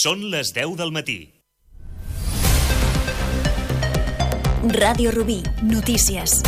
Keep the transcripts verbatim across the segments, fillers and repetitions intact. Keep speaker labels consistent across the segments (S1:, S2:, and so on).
S1: Són les deu del matí.
S2: Ràdio Rubí, notícies.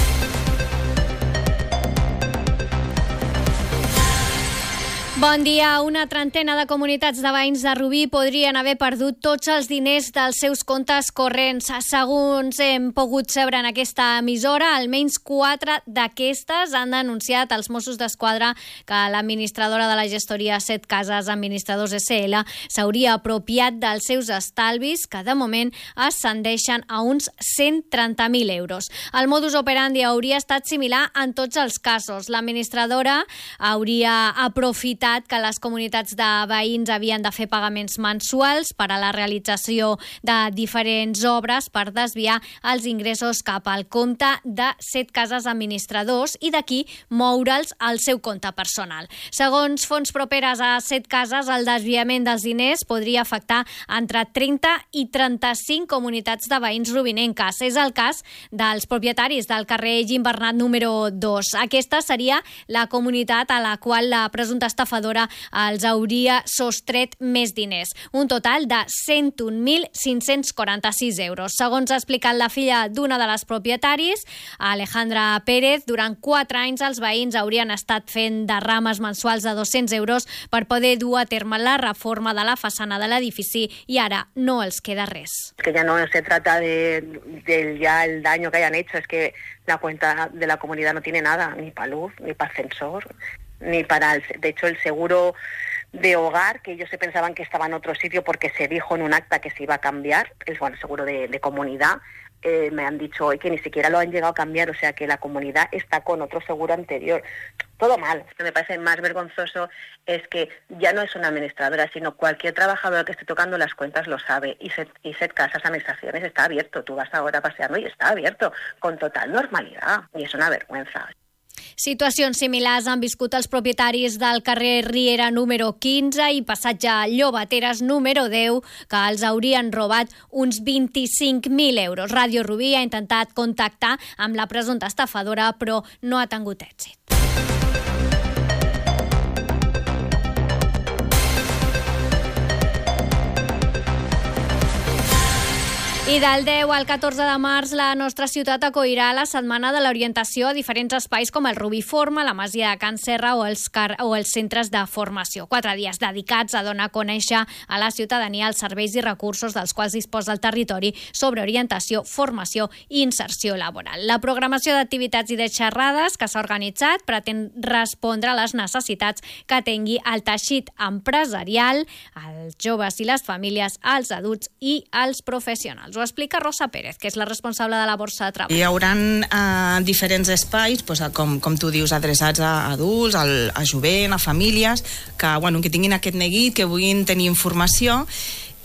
S3: Bon dia. Una trentena de comunitats de veïns de Rubí podrien haver perdut tots els diners dels seus comptes corrents. Segons hem pogut saber en aquesta emissora, almenys quatre d'aquestes han denunciat als Mossos d'Esquadra que l'administradora de la gestoria Set Cases Administradors S L s'hauria apropiat dels seus estalvis, que de moment ascendeixen a uns cent trenta mil euros. El modus operandi hauria estat similar en tots els casos. L'administradora hauria aprofitat que les comunitats de veïns havien de fer pagaments mensuals per a la realització de diferents obres per desviar els ingressos cap al compte de Set Cases Administradors i d'aquí moure'ls al seu compte personal. Segons fonts properes a Set Cases, el desviament dels diners podria afectar entre trenta i trenta-cinc comunitats de veïns rubinenques. És el cas dels propietaris del carrer Gim Bernat número dos. Aquesta seria la comunitat a la qual la presumpta estafadora els hauria sostret més diners, un total de cent un mil cinc-cents quaranta-sis euros. Segons ha explicat la filla d'una de les propietaris, Alejandra Pérez, durant quatre anys els veïns haurien estat fent derrames mensuals de dos-cents euros per poder dur a terme la reforma de la façana de l'edifici i ara no els queda res.
S4: Que ya no se trata de, de ya el daño que hayan hecho, es que la cuenta de la comunidad no tiene nada, ni para luz, ni para ascensor, ni para, el, de hecho, el seguro de hogar, que ellos se pensaban que estaba en otro sitio porque se dijo en un acta que se iba a cambiar, el bueno, seguro de, de comunidad, eh, me han dicho hoy que ni siquiera lo han llegado a cambiar, o sea que la comunidad está con otro seguro anterior. Todo mal. Lo que me parece más vergonzoso es que ya no es una administradora, sino cualquier trabajador que esté tocando las cuentas lo sabe. Y Set, y Set Casas Administraciones está abierto. Tú vas ahora paseando y está abierto con total normalidad. Y es una vergüenza.
S3: Situacions similars han viscut els propietaris del carrer Riera número quinze i passatge Llobateres número deu, que els haurien robat uns vint-i-cinc mil euros. Ràdio Rubí ha intentat contactar amb la presumpta estafadora, però no ha tingut èxit. I del deu al catorze de març, la nostra ciutat acollirà la Setmana de l'Orientació a diferents espais com el Rubí Forma, la Masia de Can Serra o els, car o els centres de formació. Quatre dies dedicats a donar a conèixer a la ciutadania els serveis i recursos dels quals disposa el territori sobre orientació, formació i inserció laboral. La programació d'activitats i de xerrades que s'ha organitzat pretén respondre a les necessitats que tingui el teixit empresarial, els joves i les famílies, els adults i els professionals. Ho explica Rosa Pérez, que és la responsable de la Borsa de Treball.
S5: Hi haurà eh, diferents espais, doncs, com, com tu dius, adreçats a adults, al, a jovent, a famílies, que, bueno, que tinguin aquest neguit, que vulguin tenir informació,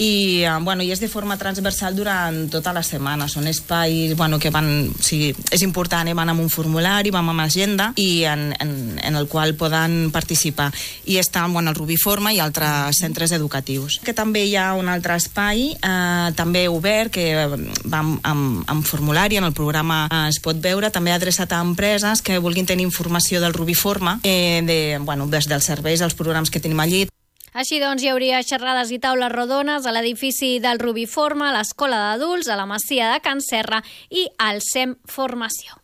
S5: i, bueno, i és de forma transversal durant tota la setmana. Són espais, bueno, que van, o sigui, és important, eh? Van amb un formulari, van amb agenda i en, en, en el qual poden participar. I estan, bueno, el Rubí Forma i altres centres educatius. Que també hi ha un altre espai, eh, també obert, que va amb, amb, amb formulari, en el programa eh, es pot veure, també adreçat a empreses que vulguin tenir informació del Rubí Forma, eh, de, bueno, des dels serveis, els programes que tenim allí.
S3: Així doncs, hi hauria xerrades i taules rodones a l'edifici del Rubí Forma, a l'Escola d'Adults, a la Masia de Can Serra i al S E M Formació.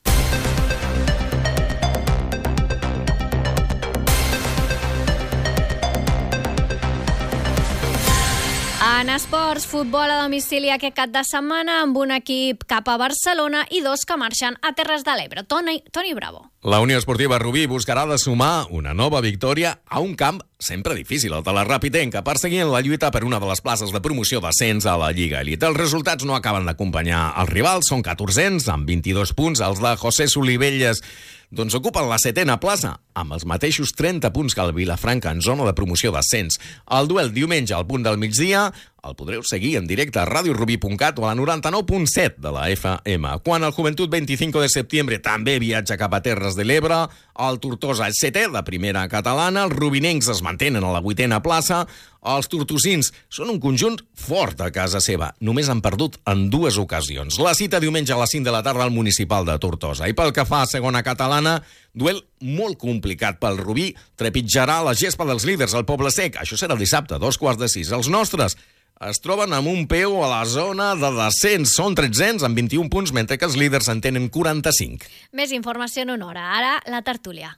S3: En esports, futbol a domicili aquest cap de setmana amb un equip cap a Barcelona i dos que marxen a Terres de l'Ebre. Toni, Toni Bravo.
S6: La Unió Esportiva Rubí buscarà de sumar una nova victòria a un camp sempre difícil, el de la Rapitenca, perseguint la lluita per una de les places de promoció d'ascens a la Lliga Elit. Els resultats no acaben d'acompanyar els rivals, són catorzens, amb vint-i-dos punts. Els de José Solivelles doncs ocupen la setena plaça, amb els mateixos trenta punts que el Vilafranca en zona de promoció d'ascens. El duel diumenge al punt del migdia el podreu seguir en directe a radio rubí punt cat o a la noranta-nou punt set de la F M. Quan el Joventut vint-i-cinc de setembre també viatja cap a Terres de l'Ebre, el Tortosa és setè, la primera catalana, els rubinencs es mantenen a la vuitena plaça, els tortosins són un conjunt fort a casa seva, només han perdut en dues ocasions. La cita diumenge a les cinc de la tarda al Municipal de Tortosa. I pel que fa a segona catalana, duel molt complicat pel Rubí, trepitjarà la gespa dels líders al Poble Sec. Això serà dissabte, dos quarts de sis. Els nostres es troben amb un peu a la zona de descens. Són tretzens amb vint-i-un punts, mentre que els líders en tenen quaranta-cinc.
S3: Més informació en una hora. Ara, la tertúlia.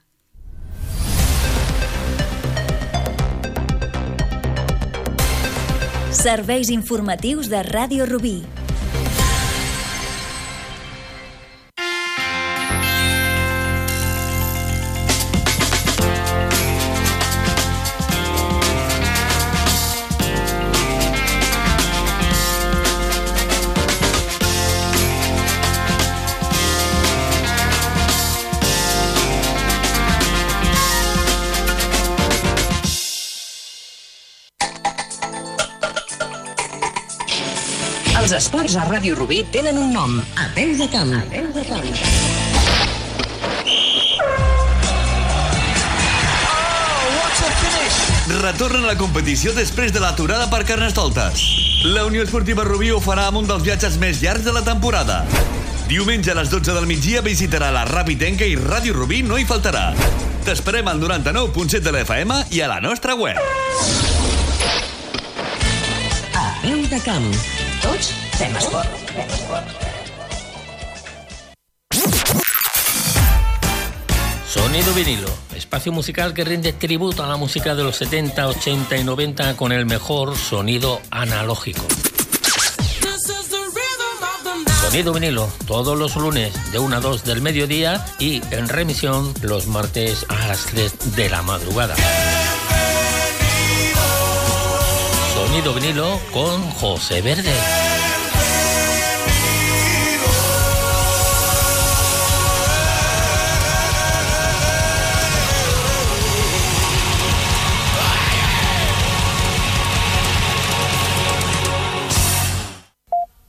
S2: Serveis informatius de Ràdio Rubí.
S1: Els esports a Ràdio Rubí tenen un nom: A peu de camp. A peu de camp.
S7: Retornen a la competició després de l'aturada per Carnestoltes. La Unió Esportiva Rubí ho farà amb un dels viatges més llargs de la temporada. Diumenge a les dotze del migdia visitarà la Rapitenca i Ràdio Rubí no hi faltarà. T'esperem al noranta-nou punt set de la F M i a la nostra web.
S1: A peu de camp. Tots fem esport.
S8: Sonido vinilo, espacio musical que rinde tributo a la música de los setenta, ochenta y noventa con el mejor sonido analógico. Sonido vinilo, todos los lunes de una a dos del mediodía y en remisión los martes a las tres de la madrugada. Sonido vinilo con José Verde.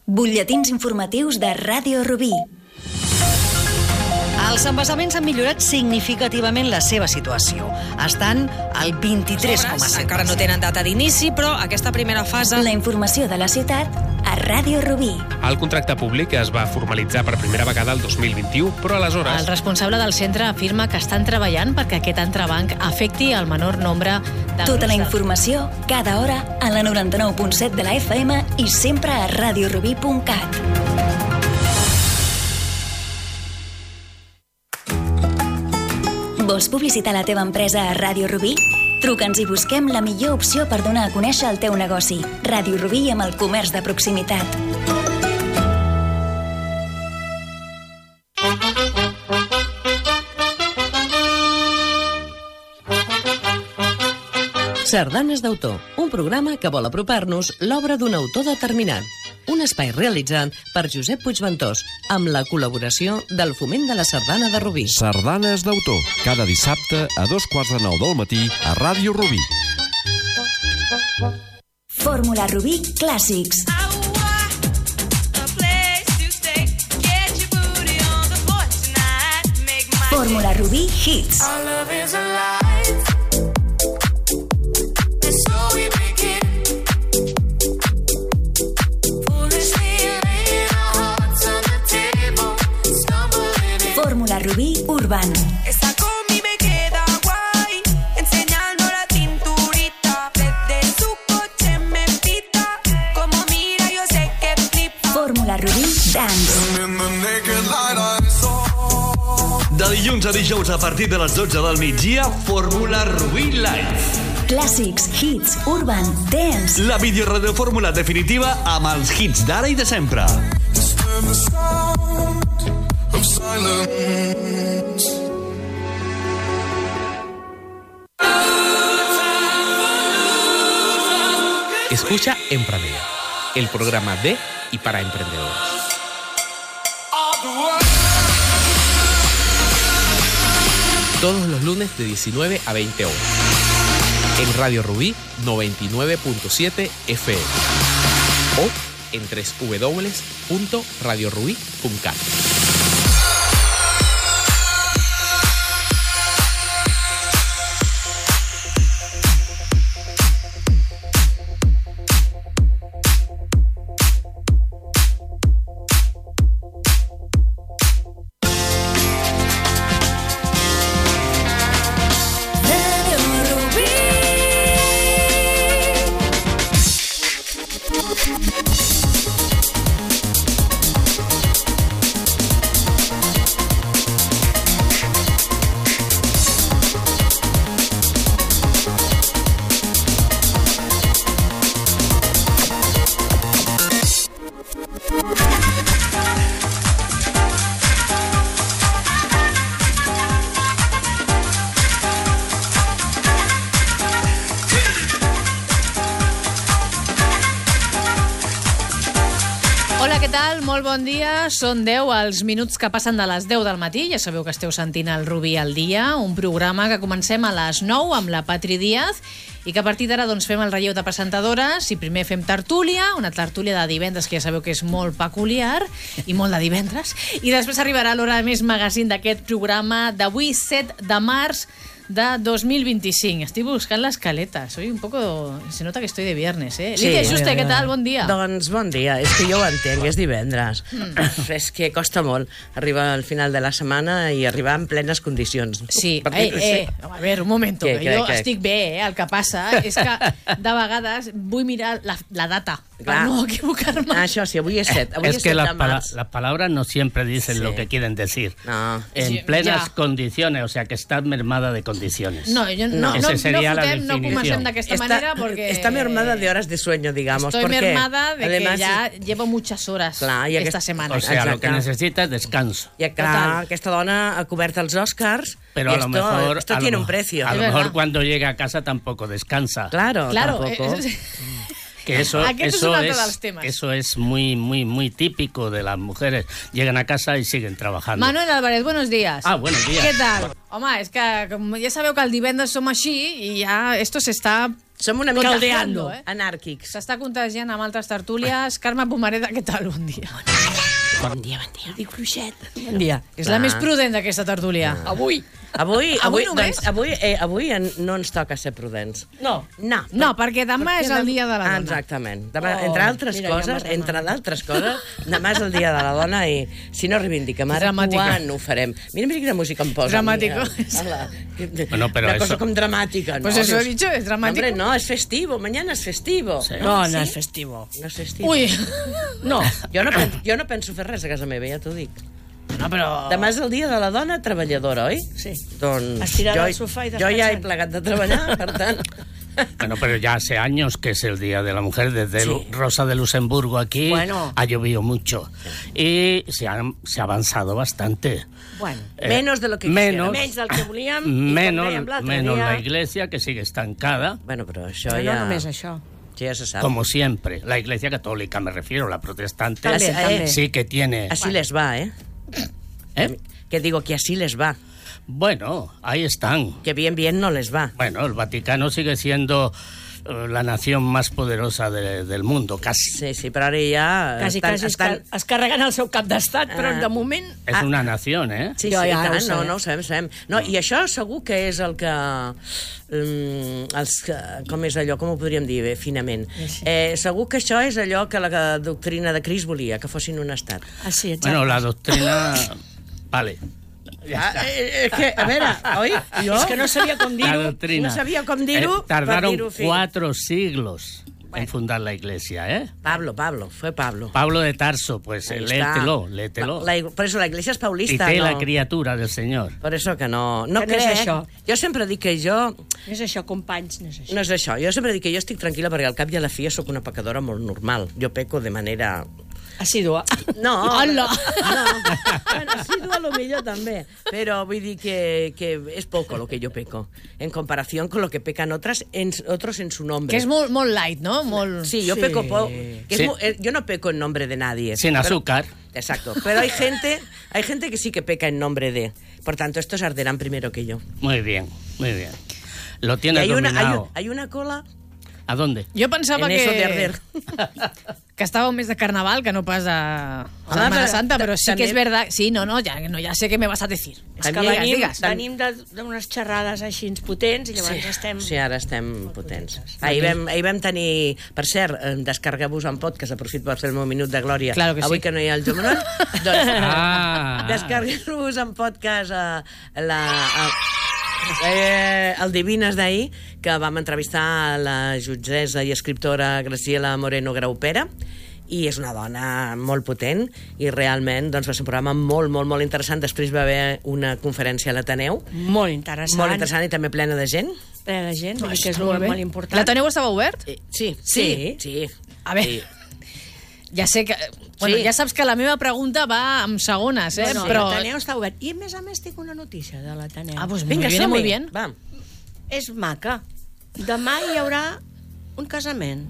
S2: Butlletins informatius de Ràdio Rubí.
S9: Els embassaments han millorat significativament la seva situació. Estan al vint-i-tres coma set.
S10: Encara no tenen data d'inici, però aquesta primera fase...
S2: La informació de la ciutat a Ràdio Rubí.
S11: El contracte públic es va formalitzar per primera vegada el dos mil vint-i-u, però aleshores...
S9: El responsable del centre afirma que estan treballant perquè aquest entrebanc afecti el menor nombre de...
S2: Tota la informació, cada hora, a la noranta-nou punt set de la F M i sempre a radiorubí punt cat. Vols publicitar la teva empresa a Ràdio Rubí? Truca'ns i busquem la millor opció per donar a conèixer el teu negoci. Ràdio Rubí amb el comerç de proximitat.
S1: Sardanes d'autor, un programa que vol apropar-nos l'obra d'un autor determinat. Un espai realitzat per Josep Puigventós, amb la col·laboració del Foment de la Sardana de Rubí.
S12: Sardanes d'autor, cada dissabte a dos quarts de nou del matí a Ràdio Rubí.
S2: Fórmula Rubí Clàssics. Fórmula Rubí Hits. Fórmula Rubí Urban.
S13: Esa combi me queda guay, enseñando la cinturita. Desde su coche me pita, como mira yo sé que flipa.
S2: Fórmula Rubí Dance.
S7: De dilluns a dijous a partir de les dotze del migdia, Fórmula Rubí Live.
S2: Clàssics, hits, urban, dance.
S7: La videoradiofórmula definitiva amb els hits d'ara i de sempre.
S11: Escucha Emprenedor, el programa de y para emprendedores. Todos los lunes de diecinueve a veinte horas. En Radio Rubí noventa y nueve punto siete F M. O en doble u doble u doble u punto radio rubí punto cat.
S14: tal? Molt bon dia. Són deu els minuts que passen de les deu del matí. Ja sabeu que esteu sentint el Rubí al dia, un programa que comencem a les nou amb la Patri Díaz i que a partir d'ara doncs, fem el relleu de presentadores i primer fem tertúlia, una tertúlia de divendres que ja sabeu que és molt peculiar i molt de divendres, i després arribarà l'hora més magazine d'aquest programa d'avui, set de març de dos mil vint-i-cinc. Estic buscant l'escaleta. Soy un poco... Se nota que estoy de viernes, eh?
S15: Sí.
S14: Lídia Juste, què tal? Bon dia.
S15: Doncs bon dia. És que jo ho entenc, és divendres. Mm. És que costa molt arribar al final de la setmana i arribar en plenes condicions.
S14: Sí. Eh, eh, a veure, un moment.
S15: Què, què,
S14: jo
S15: què?
S14: estic bé, eh? El que passa és que de vegades vull mirar la, la data
S15: Clar.
S14: per no equivocar-me.
S15: Ah, això sí, avui és set. Avui
S16: Es
S15: és
S16: que
S15: set
S16: las,
S15: de
S16: pala-
S15: març.
S16: las palabras no siempre dicen
S15: Sí.
S16: lo que quieren decir.
S15: No.
S16: En
S14: Sí,
S16: plenas
S14: ya.
S16: condiciones, o sea que está mermada de condiciones.
S14: No, jo no, no,
S16: Esa
S14: no,
S16: sería la
S14: fotem, no
S16: definición.
S14: comencem d'aquesta
S15: Está-
S14: manera porque...
S15: Está mermada de horas de sueño, digamos.
S14: Estoy
S15: porque,
S14: mermada de
S15: además,
S14: que ya llevo muchas horas
S15: Clar, i
S14: esta
S15: aquest-
S14: semana.
S16: O sea, lo
S15: Exacte.
S16: que necesita es descanso.
S15: I clar, aquesta dona ha cobert els Oscars
S16: Pero
S15: y
S16: a lo
S15: esto,
S16: mejor,
S15: esto
S16: a lo
S15: tiene
S16: mo-
S15: un precio.
S16: a lo
S14: Es
S16: mejor
S14: verdad.
S16: cuando llega a casa tampoco descansa.
S15: Claro,
S14: Claro,
S15: tampoco.
S14: eh,
S16: Que eso,
S14: Aquest és
S16: eso
S14: un altre
S16: es,
S14: dels temes.
S16: eso es muy, muy, muy típico de las mujeres. Llegan a casa y siguen trabajando.
S14: Manuel Álvarez, buenos días.
S16: Ah, buenos días.
S14: Què tal? Home, és que com ja sabeu que el divendres som així i ja esto s'està
S15: Som una mica
S14: contagiando, eh?
S15: anàrquics.
S14: S'està contagiant amb altres tertúlies. Carme Pomareda, què tal? Bon dia.
S15: Bon dia, bon dia.
S14: Dic fluixet. Bon dia. És
S15: Clar.
S14: la més prudent d'aquesta tertúlia. Avui.
S15: Avui,
S14: Avui
S15: avui,
S14: només?
S15: doncs, avui, eh, avui en, no ens toca ser prudents.
S14: No.
S15: No,
S14: No, perquè demà
S15: perquè
S14: és el
S15: dem-
S14: dia de la dona.
S15: Exactament. Demà,
S14: Oh,
S15: entre altres
S14: mira, ja
S15: coses,
S14: m'ha
S15: entre d'altres coses, demà és el dia de la dona i si no reivindiquem ara,
S14: Dramàtico.
S15: quan ho farem? Mira, mira quina música em posa.
S14: Dramàtico.
S15: a mi, eh? Hola.
S16: Bueno, pero
S15: Una cosa
S16: eso-
S15: com dramàtica.
S14: Pues
S15: no,
S14: eso he
S15: Dios.
S14: dicho, es dramático.
S15: Hombre, no, es festivo, mañana es festivo.
S16: Sí.
S9: No,
S15: ¿Sí?
S9: no és festivo.
S15: No és festivo.
S14: Ui.
S15: No, jo no, pen, jo no penso fer res a casa meva, ja t'ho dic.
S9: No, però...
S15: Demà és el dia de la dona treballadora, oi?
S9: Sí.
S15: Doncs
S9: Estirada
S15: jo,
S9: al sofà i
S15: jo ja he
S9: descansant.
S15: plegat de treballar, per tant...
S16: Bueno, pero ya hace años que es el Día de la Mujer. Desde
S15: Sí.
S16: Lu- Rosa de Luxemburgo aquí
S9: Bueno.
S16: ha llovido mucho. Y se ha, se ha avanzado bastante.
S9: Bueno,
S16: Eh,
S15: Menos de lo que
S16: menos,
S9: menys del que volíem. i com
S16: menos,
S9: dèiem l'altre
S16: menos
S9: dia,
S16: la iglesia, que sigue estancada,
S15: Bueno, però això
S9: Però
S15: ja...
S9: no només això.
S15: això ja se sap.
S16: como siempre. La iglesia católica, me refiero, la protestante,
S15: També, també.
S16: sí que tiene...
S15: Así les va, ¿eh?
S16: ¿Eh?
S15: Que digo que así les va.
S16: Bueno, ahí están.
S15: Que bien, bien no les va.
S16: Bueno, el Vaticano sigue siendo eh, la nación más poderosa de- del mundo, casi.
S15: Sí, sí, però ara ja...
S9: Quasi,
S15: estan,
S9: quasi es,
S15: estan...
S9: car es carreguen el seu cap d'estat, però
S15: Ah.
S9: de moment...
S16: Es
S15: Ah.
S16: una nación, ¿eh?
S15: Sí, sí,
S9: Jo ja
S15: tant,
S9: ho sé.
S15: no, no ho sabem, sabem. No, i això segur que és el que... Um, els, que- com és allò, com ho podríem dir bé, finament? Eh, segur que això és allò que la doctrina de Cris volia, que fossin un estat.
S9: Ah, sí, exacte.
S16: Bueno, la doctrina... Vale.
S15: Ah, eh, és que, a veure, oi? Jo...
S9: És que no sabia com
S16: La
S9: dir-ho.
S16: doctrina.
S15: No sabia com dir-ho,
S16: Eh, tardaron
S15: per dir-ho fi.
S16: cuatro siglos en fundar la iglesia, ¿eh?
S15: Pablo, Pablo, fue Pablo.
S16: Pablo de Tarso, pues
S15: Ahí
S16: eh,
S15: está.
S16: léetelo, léetelo.
S15: La, la, por eso la iglesia es paulista,
S16: Quité la
S15: no?
S16: criatura del Señor.
S15: Per això que no, no
S9: Que no és
S15: crec.
S9: això.
S15: Jo sempre dic que jo...
S9: No és això, companys, no és això.
S15: No és això. Jo sempre dic que jo estic tranquil·la perquè al cap i a la fi sóc una pecadora molt normal. Jo peco de manera...
S9: Assídua.
S15: No,
S14: Hola.
S15: no. Bueno, sí, a lo millor també. Però vull dir que, que és poco lo que yo peco, en comparación con lo que pecan otras en, otros en su nombre.
S14: Que és molt, molt light, no? Molt...
S15: Sí, yo
S14: Sí.
S15: peco poco. Que es
S16: Sí.
S15: mu- eh, yo no peco en nombre de nadie.
S16: Sin
S15: Pero-
S16: azúcar.
S15: Exacto. Pero hay gente, hay gente que sí que peca en nombre de. Por tanto, estos arderán primero que yo.
S16: Muy bien, muy bien. Lo
S15: Y
S16: tienes
S15: hay una, hay,
S16: dominado.
S15: un- hay una cola
S16: ¿A dónde?
S14: Jo pensava
S15: en
S14: que...
S15: eso de arder.
S14: que estava més de carnaval que no pas a, a
S15: Home,
S14: Setmana
S15: però
S14: Santa, però sí
S15: també-
S14: que és verdad. Sí, no, no, ja, no, ja sé què me vas a decir.
S9: És que
S15: També-
S9: venim,
S14: digues.
S9: venim de- d'unes xerrades així potents i llavors estem...
S15: Sí, ara estem potents. Ahir vam, ahir vam tenir... Per cert, eh, descarregueu-vos en podcast, aprofito per fer el meu minut de glòria.
S14: Claro que sí.
S15: Avui que no hi ha el Jomonol. doncs,
S16: Ah.
S15: descarregueu-vos en podcast a, la... A, eh, el Divines d'ahir, que vam entrevistar a la jutgessa i escriptora Graciela Moreno Graupera, i és una dona molt potent i realment doncs, va ser un programa molt, molt, molt interessant. Després va haver una conferència a l'Ateneu,
S9: Molt interessant.
S15: molt interessant i també plena de gent.
S9: Plena de gent, vull dir que és
S14: Molt
S9: molt,
S14: bé.
S9: molt important.
S14: L'Ateneu estava obert?
S15: Eh, Sí,
S14: Sí?
S15: sí, sí.
S14: A veure,
S15: Sí.
S14: ja sé que... Bueno,
S15: Sí.
S14: ja saps que la meva pregunta va amb segones, eh?
S9: No, no,
S14: però...
S9: l'Ateneu està obert. I a més a més tinc una notícia de l'Ateneu.
S14: Ah, pues muy
S15: Vinga,
S14: bien,
S15: som-hi.
S14: muy bien.
S15: Va.
S9: És maca. Demà hi haurà un casament.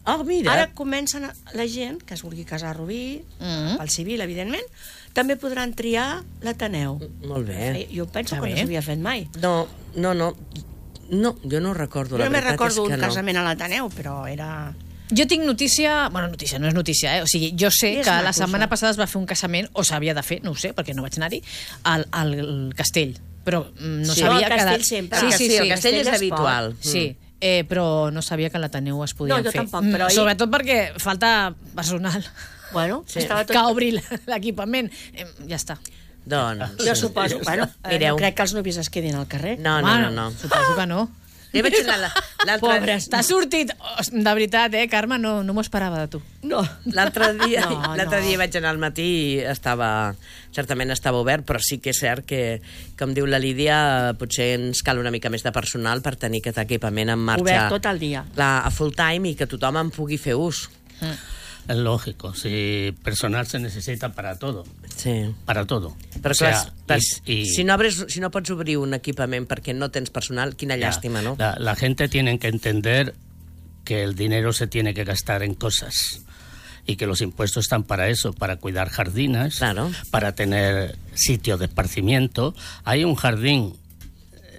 S15: Oh, mira.
S17: Ara comencen a, la gent que es vulgui casar a Rubí, mm. pel civil, evidentment, també podran triar l'Ateneu.
S15: Molt bé.
S17: Jo penso que no s'havia fet mai.
S15: No, no, no. No, jo no ho recordo.
S17: Jo
S15: la
S17: me
S15: veritat
S17: recordo
S15: és que
S17: un
S15: no.
S17: casament a l'Ateneu, però era...
S14: Jo tinc notícia... Bueno, notícia, no és notícia, eh? O sigui, jo sé
S17: És
S14: que
S17: maco,
S14: la setmana
S17: això.
S14: passada es va fer un casament, o s'havia de fer, no ho sé, perquè no vaig anar-hi, al, al castell. Però mm, no
S15: Sí.
S14: sabia
S17: No, al
S14: que...
S17: castell sempre.
S14: Sí,
S15: Ah,
S14: sí,
S15: sí,
S14: sí.
S15: el castell és
S17: es pot.
S15: habitual.
S14: Sí, eh, però no sabia que a l'Ateneu es podien
S17: No, jo
S14: fer.
S17: tampoc, però
S14: Mm,
S17: ahir-
S14: Sobretot perquè falta personal.
S17: Bueno,
S15: Sí.
S17: estava tot...
S14: Que obri l'equipament. Eh, ja està.
S15: Doncs...
S17: Jo suposo, bueno, eh,
S15: Mireu.
S17: no crec que els nuvis es quedin al carrer.
S15: No, no, no, no.
S14: Suposo que no.
S15: Jo vaig anar la- l'altre...
S14: Pobres, t'ha sortit... Os- De veritat, eh, Carme, no, no m'ho esperava de tu.
S17: No.
S15: L'altre dia,
S17: No,
S15: l'altre
S17: no.
S15: dia vaig anar al matí i estava, certament estava obert, però sí que és cert que, com diu la Lídia, potser ens cal una mica més de personal per tenir aquest equipament en marxa.
S17: Obert tot el dia.
S15: Clar, a full time i que tothom en pugui fer ús.
S16: Es lógico, si personal se necesita para todo.
S15: Sí.
S16: Para todo.
S15: Però
S16: O sea,
S15: clar, clar,
S16: y- y-
S15: si, no obres, si no pots obrir un equipament perquè no tens personal, quina
S16: Ya,
S15: llàstima, no?
S16: La, la gente tiene que entender que el dinero se tiene que gastar en cosas y que los impuestos están para eso, para cuidar jardines,
S15: Claro.
S16: para tener sitios de esparcimiento. Hay un jardín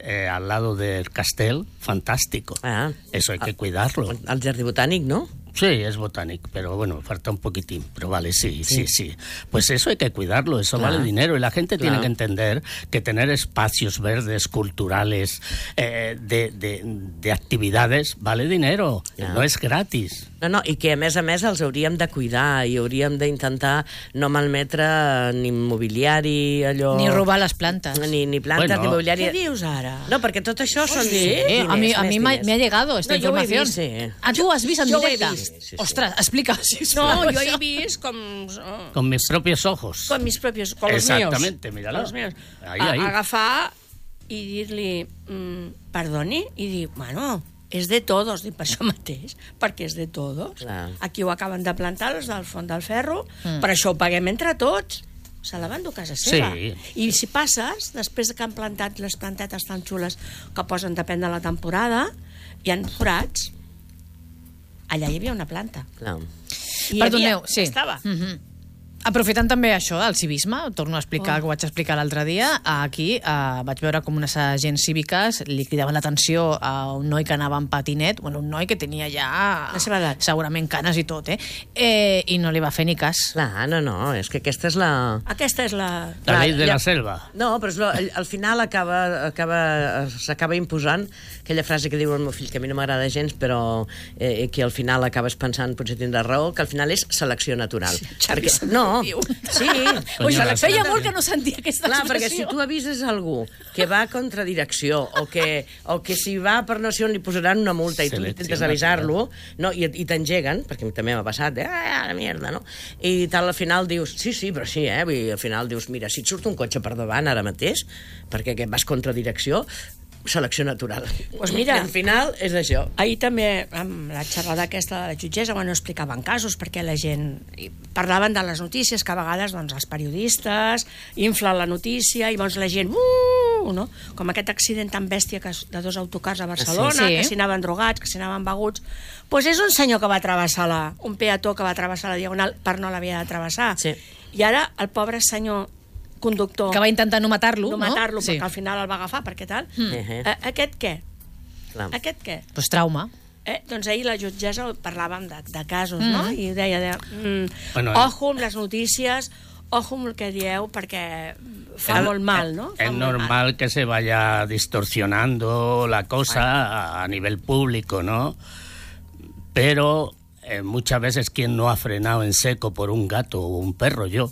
S16: eh, al lado del castel fantástico.
S15: Ah.
S16: Eso hay que cuidarlo.
S15: El jardí botànic, no?
S16: Sí, es botánico, pero bueno, falta un poquitín. Pero vale, sí, sí, sí. Pues eso hay que cuidarlo, eso
S15: Claro.
S16: vale dinero. Y la gente
S15: Claro.
S16: tiene que entender que tener espacios verdes, culturales, eh, de, de, de actividades, vale dinero.
S15: Claro.
S16: No es gratis.
S15: No, no, i que a més a més els hauríem de cuidar i hauríem d'intentar no malmetre ni mobiliari, allò...
S14: Ni robar les plantes.
S15: Ni, ni plantes,
S16: Bueno.
S15: ni mobiliari...
S17: Què dius ara?
S15: No, perquè tot això són...
S17: sí?
S14: Eh, a mi, a
S15: diners,
S14: mi
S15: més
S14: m'ha
S15: diners.
S14: me ha llegado esta
S17: No, jo ho he
S14: información.
S17: vist,
S15: sí.
S14: Ah, tu ho has vist en
S17: Jo ho he
S14: directe?
S17: vist.
S15: Sí, sí.
S14: Ostres, explica, sisplau.
S17: No, jo he
S14: això.
S17: vist com... oh,
S16: Con mis propios ojos.
S17: con mis propios... Con los míos.
S16: Exactamente, míralo.
S17: Con los míos.
S16: Ahí,
S17: A-
S16: ahí.
S17: Agafar i dir-li, mm, perdoni, i dir, bueno, és de todos, dic per això mateix, perquè és de todos.
S15: Clar.
S17: Aquí ho acaben de plantar, els del Font del Ferro,
S14: Mm.
S17: per això ho paguem entre tots. Se la van dur a casa seva.
S16: Sí.
S17: I si passes, després que han plantat les plantetes tan xules que posen depèn de la temporada, hi han forats. Allà hi havia una planta.
S15: Clar.
S17: I hi
S14: Perdoneu,
S17: havia,
S14: sí.
S17: Estava.
S14: Mhm. Aprofitant també això del civisme, torno a explicar oh. que ho vaig explicar l'altre dia, aquí eh, vaig veure com unes agents cíviques li cridaven l'atenció a un noi que anava en patinet, bueno, un noi que tenia ja
S17: La seva edat.
S14: segurament canes i tot, eh? eh i no li va fer ni cas.
S15: Clar, no, no, és que aquesta és la...
S17: Aquesta és la...
S16: La
S15: Clar,
S16: ley de
S15: ja-
S16: la selva.
S15: No, però és lo, al, al final acaba, acaba, s'acaba imposant aquella frase que diu el meu fill, que a mi no m'agrada gens, però eh, que al final acabes pensant, potser tindrà raó, que al final és selecció natural. Sí,
S17: Xavi
S15: no,
S17: diu.
S15: sí.
S14: Ui,
S16: Coño,
S14: feia molt que no sentia aquesta
S15: Clar, perquè si
S14: expressió.
S15: tu avises algú que va contra direcció o que, o que si va per no sé on li posaran una multa i tu
S16: Selecció
S15: intentes avisar-lo no, i, i t'engeguen, perquè a mi també m'ha passat, eh, ah, la mierda, no? I tal, al final dius, sí, sí, però sí, eh? Vull dir, al final dius, mira, si et surt un cotxe per davant ara mateix, perquè que vas contra direcció, selecció natural.
S17: Pues mira.
S15: I al final és això.
S17: Ahir també, amb la xerrada aquesta de la jutgessa, bueno, explicaven casos, perquè la gent... i parlaven de les notícies, que a vegades doncs, els periodistes inflen la notícia i llavors la gent... Uh, no? Com aquest accident tan bèstia que, de dos autocars a Barcelona,
S14: Sí.
S17: que s'hi anaven drogats, que s'hi anaven beguts... Doncs pues és un senyor que va travessar la... un peató que va travessar la diagonal per no l'havia de travessar.
S15: Sí.
S17: I ara el pobre senyor conductor...
S14: Que va intentar no matar-lo,
S17: no
S14: no?
S17: matar-lo,
S14: Sí.
S17: perquè al final el va agafar, perquè tal...
S14: Mm.
S15: Eh,
S17: Eh, aquest què?
S15: Clar.
S17: Aquest què?
S14: Pues trauma.
S17: Eh, doncs ahir la jutgessa parlàvem de, de casos,
S14: Mm.
S17: no? I deia, de, mm,
S16: Bueno,
S17: ojo amb les notícies, ojo amb el que dieu, perquè fa
S16: Es-
S17: molt mal, no? Fa
S16: Es
S17: molt mal.
S16: normal que se vaya distorsionando la cosa a, a nivel público, ¿no? Pero eh, muchas veces quien no ha frenado en seco por un gato o un perro, yo.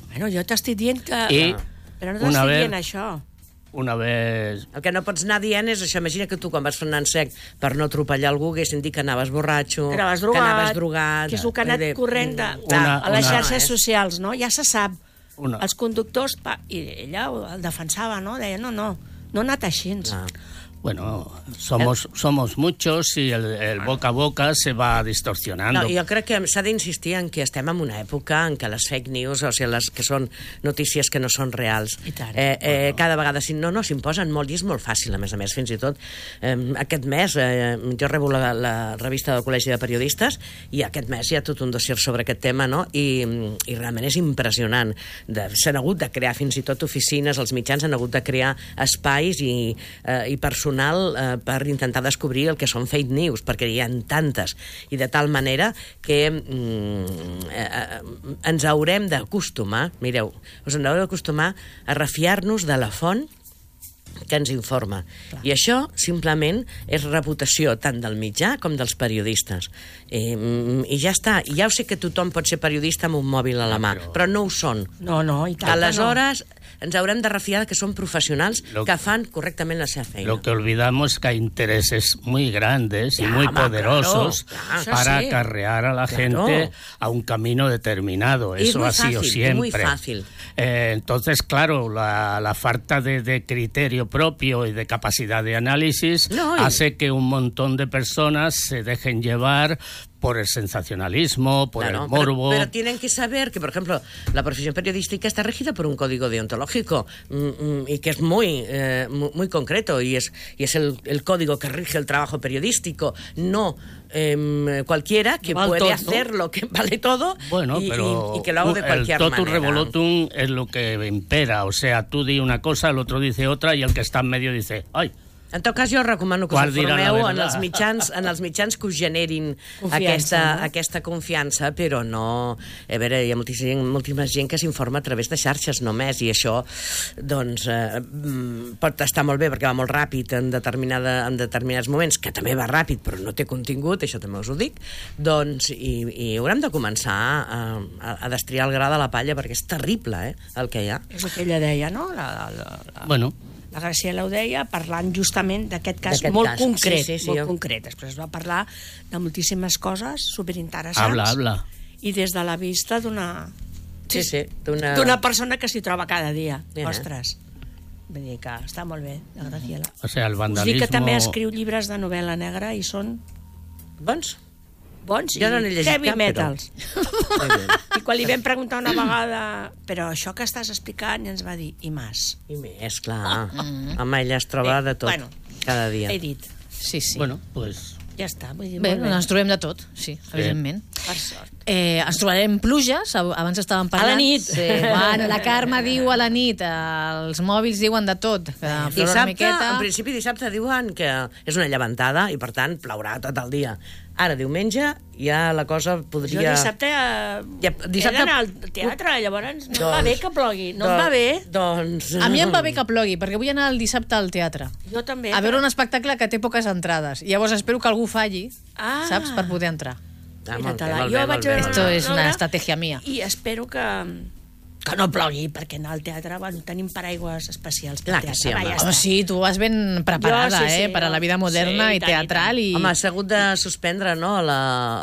S17: Bueno, jo t'estic dient que...
S16: I
S17: Però no
S16: una
S17: t'estic
S16: vez-
S17: dient això.
S16: Una vez...
S15: El que no pots anar dient és això. Imagina que tu, quan vas frenant sec per no atropellar algú, haguessin dit que anaves borratxo,
S17: Que anaves
S15: que
S17: drogat,
S15: anaves drogat...
S17: que és el que ha anat
S15: Vull dir,
S17: corrent de,
S15: mm,
S17: de,
S16: Una-
S17: a les
S16: una-
S17: xarxes socials, no? Ja se sap.
S16: Una-
S17: Els conductors... Pa, I ella ho- el defensava, no? Deia, no, no, no ha anat així.
S15: Ah.
S16: Bueno, somos, somos muchos i el, el boca a boca se va distorsionando.
S15: No, jo crec que s'ha d'insistir en que estem en una època en què les fake news, o sigui, les que són notícies que no són reals, eh, eh, bueno. cada vegada, si no, no s'imposen molt, i és molt fàcil, a més a més, fins i tot. Eh, aquest mes, eh, jo rebo la, la revista del Col·legi de Periodistes, i aquest mes hi ha tot un dossier sobre aquest tema, no? I, i realment és impressionant. De, s'han hagut de crear fins i tot oficines, els mitjans han hagut de crear espais i, eh, i personal eh, per intentar descobrir el que són fake news, perquè hi ha tantes, i de tal manera que mm, eh, ens haurem d'acostumar, mireu, us en haureu d'acostumar a refiar-nos de la font que ens informa. Clar. I això simplement és reputació tant del mitjà com dels periodistes. Eh, I ja està. I ja ho sé que tothom pot ser periodista amb un mòbil a la mà, però, però no ho són.
S17: No, no, i tant.
S15: Aleshores, no. ens haurem de refiar que són professionals lo, que fan correctament la seva feina.
S16: Lo que olvidamos es que hay intereses muy grandes y muy
S15: home,
S16: poderosos
S15: claro, claro.
S16: para
S15: sí.
S16: acarrear a la
S15: claro.
S16: gente a un camino determinado.
S15: Es
S16: Eso ha
S15: fácil,
S16: sido siempre.
S15: Muy fácil.
S16: Eh, entonces, claro, la, la falta de, de criterio propio y de capacidad de análisis no, y... hace que un montón de personas se dejen llevar por el sensacionalismo, por claro, el morbo.
S15: Pero, pero tienen que saber que, por ejemplo, la profesión periodística está regida por un código deontológico mm, y que es muy, eh, muy, muy concreto y es, y es el, el código que rige el trabajo periodístico, no eh, cualquiera que vale puede todo, hacer ¿no? lo que vale todo
S16: bueno,
S15: y,
S16: pero
S15: y, y que lo hago de cualquier
S16: el
S15: totum
S16: manera. Revolutum es lo que impera, o sea, tú di una cosa, el otro dice otra y el que está en medio dice, ¡ay!
S15: En tot cas, jo recomano que us informeu en els mitjans, en els mitjans que us generin confiança, aquesta, no? aquesta confiança, però no... A veure, hi ha moltíssima gent, moltíssima gent que s'informa a través de xarxes només, i això, doncs, eh, pot estar molt bé perquè va molt ràpid en, determinada, en determinats moments, que també va ràpid però no té contingut, això també us ho dic, doncs, i, i haurem de començar a, a, a destriar el gra de la palla perquè és terrible, eh, el que hi ha.
S17: És el que ella deia, no? La, la, la...
S16: Bueno...
S17: La Graciela ho deia, parlant justament d'aquest cas molt cas. concret. Sí, sí, sí,
S15: molt
S17: jo... concret. Després es va parlar de moltíssimes coses superinteressants.
S16: Habla, habla.
S17: I des de la vista d'una...
S15: Sí, sí, d'una...
S17: D'una persona que s'hi troba cada dia. Yeah. Ostres. Vull dir que està molt bé, la Graciela.
S16: O sea, el vandalismo...
S17: Us dic que també escriu llibres de novel·la negra i són...
S15: Bons?
S17: Bons
S15: jo no n'he llegit
S17: heavy
S15: cap,
S17: metals.
S15: Però...
S17: I quan li vam preguntar una vegada però això que estàs explicant, ens va dir i més.
S15: I més, clar. Mm. Home, ella es troba eh, de tot, bueno, cada dia.
S17: He dit.
S14: Sí, sí.
S16: Bueno, pues...
S17: Ja està. Vull dir,
S14: bé, bé. Ens trobem de tot, sí, sí. evidentment.
S17: Per sort.
S14: Eh, ens trobarem pluges, abans estàvem parlant.
S17: A la nit.
S14: Sí. Bueno, la Carme diu a la nit, els mòbils diuen de tot. Que
S15: dissabte, una miqueta... en principi dissabte diuen que és una llevantada i per tant plourà tot el dia. Ara, diumenge, ja la cosa podria...
S17: Jo dissabte, eh, ja, dissabte... he d'anar al teatre, llavors no doncs, va bé que plogui, no doncs, em va bé.
S15: Doncs...
S14: A mi em va bé que plogui, perquè vull anar el dissabte al teatre.
S17: Jo també.
S14: A veure però... un espectacle que té poques entrades. Llavors espero que algú falli, ah. saps, per poder entrar.
S15: Ah, molt bé,
S17: molt bé, molt bé.
S14: Esto es una estratègia mia.
S17: I espero que... que no plogui, perquè anar al teatre, bueno, tenim paraigües especials per teatre.
S15: Sí,
S14: home. Home, sí, tu vas ben preparada, jo, sí, sí, eh, per a la vida moderna sí, i teatral. I...
S15: Home, s'ha hagut de suspendre, no?, la,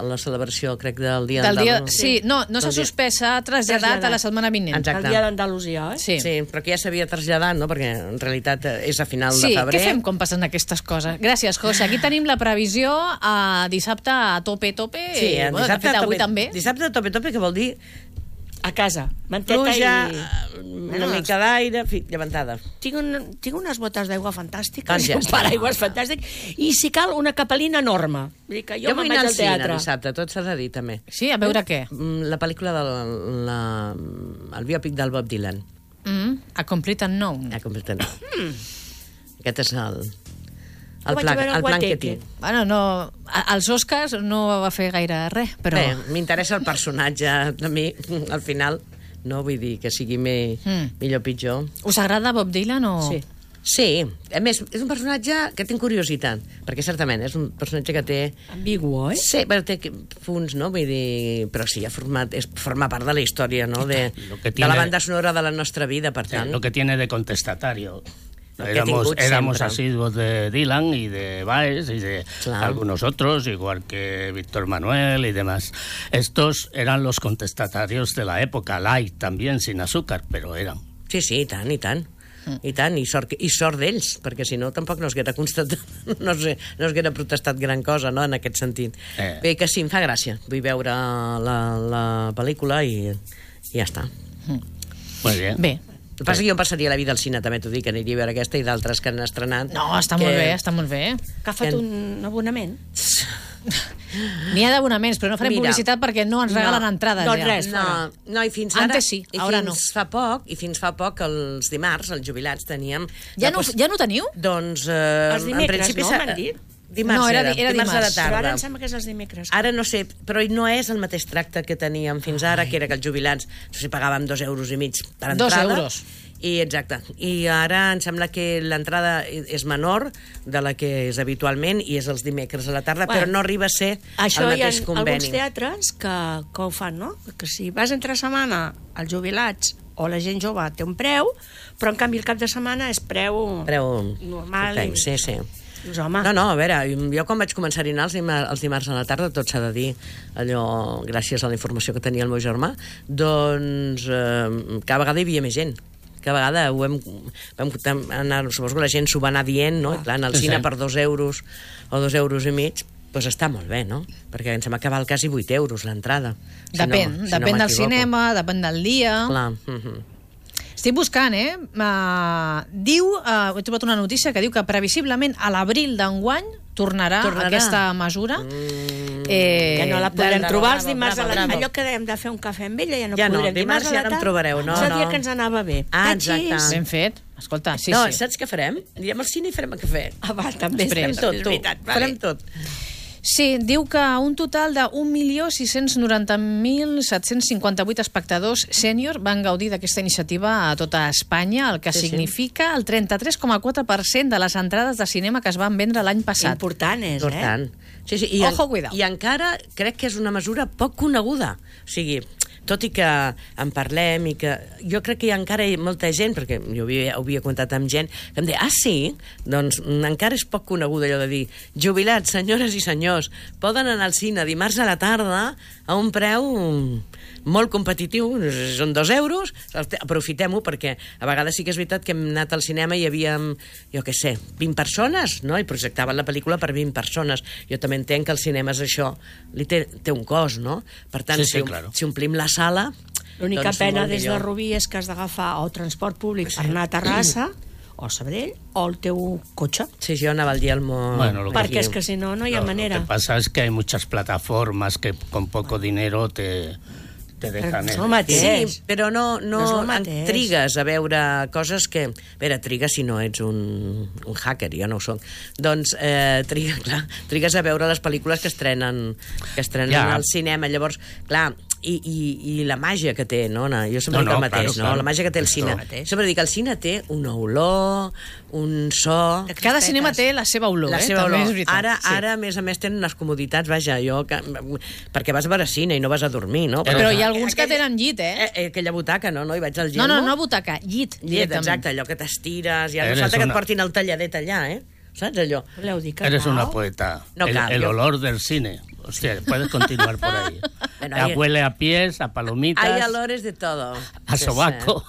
S15: la celebració, crec, del Dia d'Andalusia.
S14: Sí, no, no s'ha suspès, s'ha traslladat a la setmana vinent.
S15: Exacte.
S17: El Dia d'Andalusia, eh?
S14: Sí.
S15: sí, però que ja s'havia traslladat, no?, perquè en realitat és a final
S14: sí,
S15: de febrer.
S14: Sí, què fem quan passen aquestes coses? Gràcies, José. Aquí tenim la previsió a dissabte a tope, tope.
S15: Sí,
S14: eh, bueno,
S15: dissabte,
S14: de fet, avui
S15: tope,
S14: també.
S15: Dissabte a tope, tope, que vol dir...
S17: A casa, manteta
S15: pluja,
S17: i...
S15: una bueno, mica d'aire, llevantada.
S17: Tinc, un, tinc unes botes d'aigua fantàstiques,
S15: ja
S17: un paraigües fantàstic, i si cal, una capelina enorme. Vull dir que jo,
S15: jo
S17: me'n vaig al teatre.
S15: Dissabte, tot s'ha de dir, també.
S14: Sí, a veure què?
S15: La pel·lícula del la, el biòpic del Bob Dylan.
S14: Mm, A Complete Unknown.
S15: A Complete Unknown. Mm. Aquest és el... El,
S17: vaig
S15: plan,
S17: veure
S15: el plan que tinc.
S14: Bueno, no, als Oscars no va fer gaire res, però...
S15: Bé, m'interessa el personatge, a mi, al final, no vull dir que sigui me, mm. millor o pitjor.
S14: Us agrada Bob Dylan o...?
S15: Sí. Sí, a més, és un personatge que tinc curiositat, perquè certament és un personatge que té...
S17: Ambigu, eh?
S15: Sí, però té punts, no? Vull dir... Però sí, ha format, és, forma part de la història, no? De, tiene, de la banda sonora de la nostra vida, per tant...
S16: Lo que tiene de contestatario... Éramos, éramos asiduos de Dylan y de Baez y de claro. algunos otros, igual que Víctor Manuel y demás. Estos eran los contestatarios de la época, light también, sin azúcar, pero eran.
S15: Sí, sí, i tant, i tant. I tant, i sort, i sort d'ells, perquè si no tampoc no es haguera constatat, no, sé, no es haguera protestat gran cosa, no?, en aquest sentit.
S16: Eh.
S15: Bé, que sí, em fa gràcia. Vull veure la, la pel·lícula i, i ja està.
S16: Molt bé.
S14: Bé.
S15: El que passa que jo em passaria la vida al cine, també t'ho dic, que aniria a veure aquesta i d'altres que han estrenat.
S14: No, està
S15: que...
S14: molt bé, està molt bé.
S17: Que ha fet un abonament.
S14: N'hi ha d'abonaments, però no farem
S15: Mira,
S14: publicitat perquè no ens regalen
S15: no,
S14: entrades.
S15: No,
S14: ja.
S15: res, no, no, i fins ara...
S14: Antes sí,
S15: i
S14: ara
S15: fins
S14: no.
S15: Fa poc, I fins fa poc, els dimarts, els jubilats, teníem...
S14: Ja no, ja no teniu?
S15: Doncs... Eh,
S17: Els dimecres,
S15: en principi,
S17: no,
S15: s'ha-
S17: m'han dit?
S15: Dimarts
S14: No, era
S15: era,
S14: di- era
S15: dimarts a la
S14: dimarts.
S15: tarda.
S17: Però ara em sembla que és els dimecres.
S15: Ara no sé, però no és el mateix tracte que teníem fins ara, que era que els jubilats, no sé, pagàvem dos euros i mig per
S14: Dos
S15: entrada.
S14: euros.
S15: I exacte. I ara em sembla que l'entrada és menor de la que és habitualment i és els dimecres a la tarda,
S17: Bueno,
S15: però no arriba a ser
S17: Això
S15: el
S17: hi ha
S15: mateix
S17: alguns
S15: conveni.
S17: teatres que, que ho fan, no? Que si vas entre setmana, els jubilats o la gent jove té un preu, però en canvi el cap de setmana és preu,
S15: Preu
S17: normal.
S15: full time, sí, sí.
S17: Dius, home,
S15: No, no, a veure, jo quan vaig començar a anar els dimarts, els dimarts a la tarda, tot s'ha de dir, allò, gràcies a la informació que tenia el meu germà, doncs eh, cada vegada hi havia més gent. Cada vegada ho hem, vam anar, suposo que la gent s'ho va anar dient, no? I clar, anar al
S16: Sí,
S15: cine
S16: sí.
S15: per dos euros o dos euros i mig, doncs està molt bé, no? Perquè em sembla que val quasi vuit euros l'entrada. Si
S14: Depèn,
S15: no, si
S14: depèn
S15: no
S14: del
S15: m'equivoco.
S14: cinema, depèn del dia.
S15: Clar, mhm.
S14: Estic buscant, eh? Uh, diu, uh, he trobat una notícia que diu que previsiblement a l'abril d'enguany tornarà,
S15: Tornarà.
S14: aquesta mesura. Mm. Eh,
S17: que no la podrem
S14: de-
S17: trobar els
S15: bravo,
S17: dimarts a la...
S15: bravo.
S17: Allò que dèiem de fer un cafè amb ella, ja no
S15: Ja no,
S17: podrem.
S15: dimarts ja no em trobareu, no,
S17: És el dia
S15: no.
S17: que ens anava bé.
S15: Ah,
S17: Tachis.
S15: exacte.
S14: Ben fet. Escolta, sí,
S15: no,
S14: sí.
S15: saps què farem? Anirem al cine i farem el cafè.
S17: Ah, va, també.
S14: Després.
S15: Farem tot,
S17: és
S15: tu.
S17: veritat, vale.
S15: Farem tot.
S14: Sí, diu que un total de un milió sis-cents noranta mil set-cents cinquanta-vuit espectadors sènior van gaudir d'aquesta iniciativa a tota Espanya, el que
S15: Sí, sí.
S14: significa el trenta-tres coma quatre per cent de les entrades de cinema que es van vendre l'any passat.
S17: Important és,
S15: Important.
S17: eh?
S15: Sí, sí, i,
S14: Ojo,
S15: en,
S14: cuidao.
S15: I encara crec que és una mesura poc coneguda. O sigui, tot i que en parlem i que... Jo crec que hi ha encara molta gent, perquè jo havia, ho havia contat amb gent, que em deia, ah, sí? Doncs mm, encara és poc coneguda allò de dir, jubilats, senyores i senyors, poden anar al cine dimarts a la tarda a un preu molt competitiu, són dos euros, aprofitem-ho, perquè a vegades sí que és veritat que hem anat al cinema i hi havia, jo què sé, vint persones, no? I projectaven la pel·lícula per vint persones. Jo també entenc que el cinema és això, li té, té un cost, no? Per tant,
S16: Sí, sí,
S15: si,
S16: claro.
S15: si omplim la sala...
S17: L'única
S15: doncs
S17: pena
S15: molt
S17: des de
S15: millor.
S17: Rubí és que has d'agafar o transport públic per anar a Terrassa, o a Sabadell, o el teu cotxe.
S15: Sí, jo anava al dia al món...
S16: Bueno, lo que-
S17: Perquè és que si no, no hi ha
S16: Lo-
S17: manera.
S16: Lo que pasa es que hay muchas plataformas que con poco dinero te, te dejan...
S17: és
S16: el-
S17: el mateix.
S15: Sí, però no, no,
S17: No és el
S15: en
S17: mateix.
S15: trigues a veure coses que... A veure, trigues si no ets un, un hacker, jo no ho soc. Doncs eh, triga, clar, trigues a veure les pel·lícules que estrenen, que estrenen
S16: Ja.
S15: al cinema. Llavors, clar, i, i, i la màgia que té, no? no jo sempre
S16: No,
S15: dic el
S16: no,
S15: mateix,
S16: claro,
S15: no?
S16: claro.
S15: La màgia que té el
S16: Esto-
S15: cine. Sempre dic que el cine té una olor, un so...
S14: Cada cinema té la seva olor,
S15: La
S14: eh?
S15: seva
S14: També
S15: olor.
S14: és veritat.
S15: Ara,
S14: Sí.
S15: ara, a més a més, tenen unes comoditats, vaja, jo... Que, perquè vas a veure cine i no vas a dormir, no?
S14: Però hi ha alguns que tenen llit, eh?
S15: Eh, eh, aquella butaca, no? no? Hi vaig al
S14: No,
S15: Gelmo.
S14: no, no butaca, llit,
S15: Llet,
S14: directament.
S15: exacte, allò que t'estires, ja no
S16: Eres
S15: falta que et
S16: una-
S15: portin el talladet allà, eh? Saps allò?
S17: Voleu dir que
S16: Eres
S17: no?
S16: una poeta.
S15: No
S16: el,
S15: cal,
S16: el
S15: yo-
S16: olor del cine. Hostia, puedes continuar por ahí.
S15: Bueno,
S16: Ya
S15: hay-
S16: huele a pies, a palomitas,
S15: Hay olores de todo.
S16: a
S15: Sí,
S16: sobaco.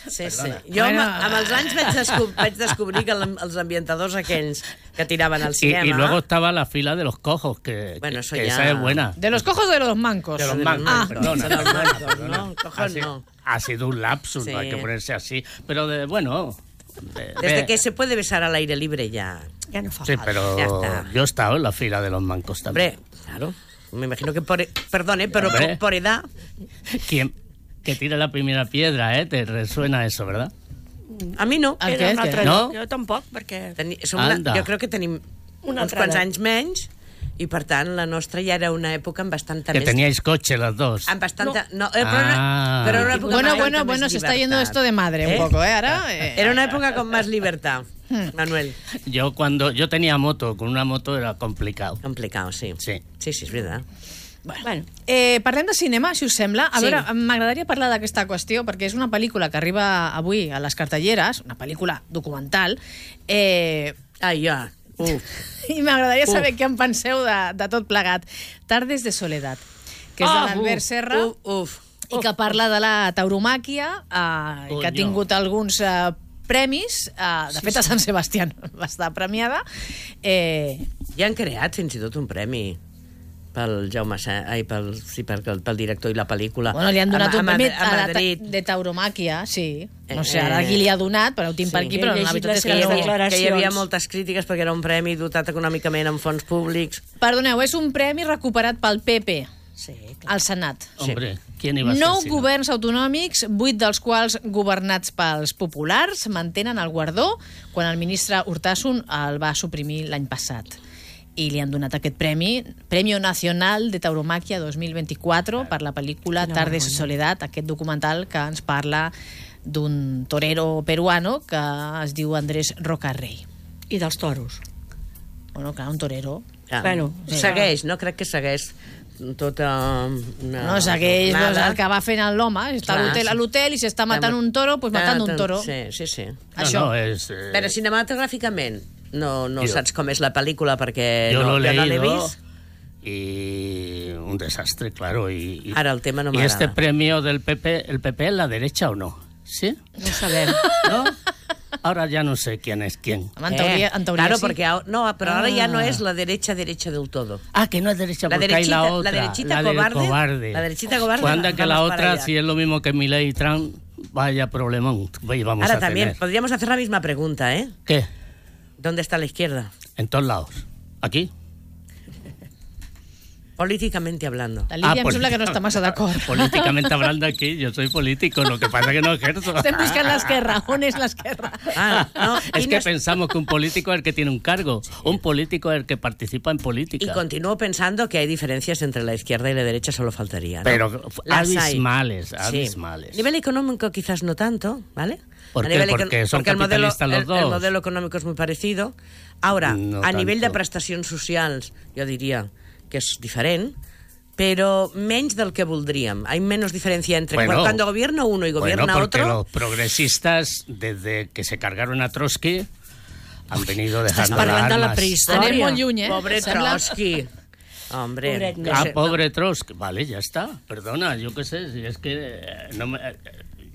S15: Sí, sí.
S16: Perdona.
S15: Jo
S14: Bueno.
S15: amb, amb els anys vaig, descob vaig descobrir que el- els ambientadors aquells que tiraven al
S16: Y,
S15: cinema...
S16: y luego estaba la fila de los cojos, que,
S15: Bueno,
S16: que-
S15: eso
S16: que
S15: ya-
S16: esa es buena.
S14: De los cojos o de los mancos?
S16: De los
S15: de los
S16: mancos,
S15: mancos.
S16: perdona,
S15: De los
S16: perdona,
S15: mancos,
S16: perdona.
S15: ¿no? Cojos
S16: ha, sido,
S15: no.
S16: ha sido un lapsus,
S15: Sí.
S16: no hay que ponerse así. Pero de, bueno... de-
S15: Desde
S16: de-
S15: que se puede besar al aire libre ya...
S17: Ja no fa
S16: Sí,
S17: falta.
S16: pero
S15: Ya está.
S16: yo he estado en la fila de los mancos también.
S15: Hombre, claro. Me imagino que por... Perdone, pero
S16: Hombre.
S15: por, por edad...
S16: ¿Quién que tire la primera piedra, eh? Te resuena eso, ¿verdad?
S15: A mi no.
S14: El
S17: Era
S14: què,
S17: un
S14: el
S17: altre
S14: què?
S16: No?
S17: lloc. Jo tampoc, perquè...
S15: Teni, som una,
S16: Anda.
S15: jo crec que tenim
S17: Una
S15: uns
S17: altra
S15: quants
S17: edat.
S15: anys menys i, per tant, la nostra ja era una època amb bastanta
S16: Que
S15: més...
S16: teníais coche las dos.
S15: Amb bastanta... No, eh, però,
S16: Ah.
S15: era, però era una època
S14: Bueno,
S15: amb
S14: bueno,
S15: bastanta
S14: bueno,
S15: més
S14: se está yendo
S15: llibertat.
S14: esto de madre un poco, ¿eh? Ahora... eh,
S15: Era una època con más libertad, Manuel.
S16: Yo cuando yo tenía moto, con una moto era complicado.
S15: Complicado, sí.
S16: Sí.
S15: Sí, sí, és veritat.
S17: Bueno,
S14: Eh, parlem de cinema, si us sembla. A
S15: Sí.
S14: veure, m'agradaria parlar d'aquesta qüestió, perquè és una pel·lícula que arriba avui a les cartelleres, una pel·lícula documental, eh,
S15: Ai, ja. Uf.
S14: i m'agradaria saber
S15: Uf.
S14: què en penseu de, de tot plegat. Tardes de soledat, que és
S15: Ah,
S14: de l'Albert
S15: uf,
S14: Serra,
S15: Uf, uf.
S14: i que parla de la tauromàquia, eh, que ha
S16: Coño.
S14: tingut alguns eh, premis, eh, de fet a Sant Sebastià va estar premiada. Eh...
S15: Ja han creat fins i tot un premi pel Jaume Sa... Ai, pel, sí, pel, pel director i la pel·lícula.
S14: Bueno, li han donat
S15: a,
S14: un
S15: a,
S14: premi
S15: a, a Madrid.
S14: de tauromàquia, sí. No sé ara qui li ha donat, però ho tinc
S15: Sí.
S14: per aquí, però la veritat és que,
S15: que, hi
S14: no.
S15: havia, que hi havia moltes crítiques perquè era un premi dotat econòmicament amb fons públics.
S14: Perdoneu, és un premi recuperat pel P P
S17: sí,
S14: al Senat.
S16: Hombre, ¿quién iba a ser?
S14: Nou
S16: si no?
S14: governs autonòmics, vuit dels quals governats pels populars, mantenen el guardó quan el ministre Urtasun el va suprimir l'any passat. I li han donat aquest premi, Premio Nacional de Tauromaquia dos mil vint-i-quatre, per la pel·lícula Tardes de Soledad, aquest documental que ens parla d'un torero peruano que es diu Andrés Rocarrey.
S17: I dels toros.
S14: Bueno, clar, un torero.
S15: Ah,
S17: Bueno,
S15: sí. Segueix, no crec que segueix tota una...
S14: No, segueix
S15: jornada.
S14: doncs, el que va fent l'home, està a l'hotel, a l'hotel i si està matant un toro, doncs matant un toro.
S15: Sí, sí, sí.
S14: Això.
S16: No, no, és... Eh...
S15: Però cinematogràficament no, no
S16: Jo-
S15: saps com és la pel·lícula perquè
S16: Yo
S15: no,
S16: lo he
S15: jo no l'he
S16: leído
S15: vist.
S16: y un desastre, claro. Y, y-
S15: Ahora el tema no
S16: ¿Y
S15: me
S16: este
S15: agrada.
S16: premio del P P, el P P es la derecha o no? ¿Sí?
S17: No ho sabem.
S16: ¿No? Ahora ya no sé quién es quién.
S14: En teoria, en teoria
S15: claro,
S14: sí.
S15: porque ahora, no, pero ahora ya no
S16: Ah.
S15: es la derecha derecha del todo.
S16: Ah, que no es derecha,
S15: La
S16: porque hay
S15: derechita,
S16: la otra.
S15: la derechita
S16: del
S15: cobarde,
S16: cobarde.
S15: la derechita cobarde.
S16: Pues anda que la
S15: vamos para
S16: otra,
S15: allá.
S16: si es lo mismo que Milei y Trump, vaya problemón vamos
S15: Ahora
S16: a
S15: también
S16: tener.
S15: podríamos hacer la misma pregunta, ¿eh?
S16: ¿Qué?
S15: ¿Dónde está la izquierda?
S16: En todos lados. ¿Aquí?
S15: Políticamente hablando.
S14: La Lídia
S16: Ah,
S14: em
S16: pues-
S14: sembla que no està massa d'acord.
S16: Políticamente hablando aquí, yo soy político, lo que pasa que no ejerzo.
S14: Estem buscant l'esquerra. On és l'esquerra?
S15: Ah, no,
S16: Es
S15: y
S16: que
S15: nos-
S16: pensamos que un político es el que tiene un cargo, un político es el que participa en política.
S15: Y continúo pensando que hay diferencias entre la izquierda y la derecha, solo faltaría, ¿no?
S16: Pero
S15: Las hay.
S16: abismales,
S15: Sí.
S16: abismales.
S15: A nivel económico quizás no tanto, ¿vale?
S16: ¿Por
S15: A
S16: qué?
S15: nivel econ-
S16: Porque son
S15: el modelo,
S16: capitalistas los
S15: el-
S16: dos.
S15: El modelo económico es muy parecido. Ahora,
S16: No
S15: a nivel de
S16: tanto.
S15: prestacions socials, jo diria que és diferent, però menys del que voldríem. Hay menos diferencia entre
S16: Bueno,
S15: cuando gobierna uno y gobierna
S16: Bueno, porque
S15: otro.
S16: los progresistas, desde que se cargaron a Trotsky, han venido dejando
S17: parlant
S16: las
S17: de la
S16: armas.
S17: prehistòria.
S14: Anem molt lluny, eh?
S15: Pobre
S14: Sembla?
S15: Trotsky. Hombre.
S17: Pobret,
S15: que
S16: Ah,
S15: se-
S16: pobre Trotsky. Vale, ya está. Perdona, yo qué sé, si es que eh, no me, eh,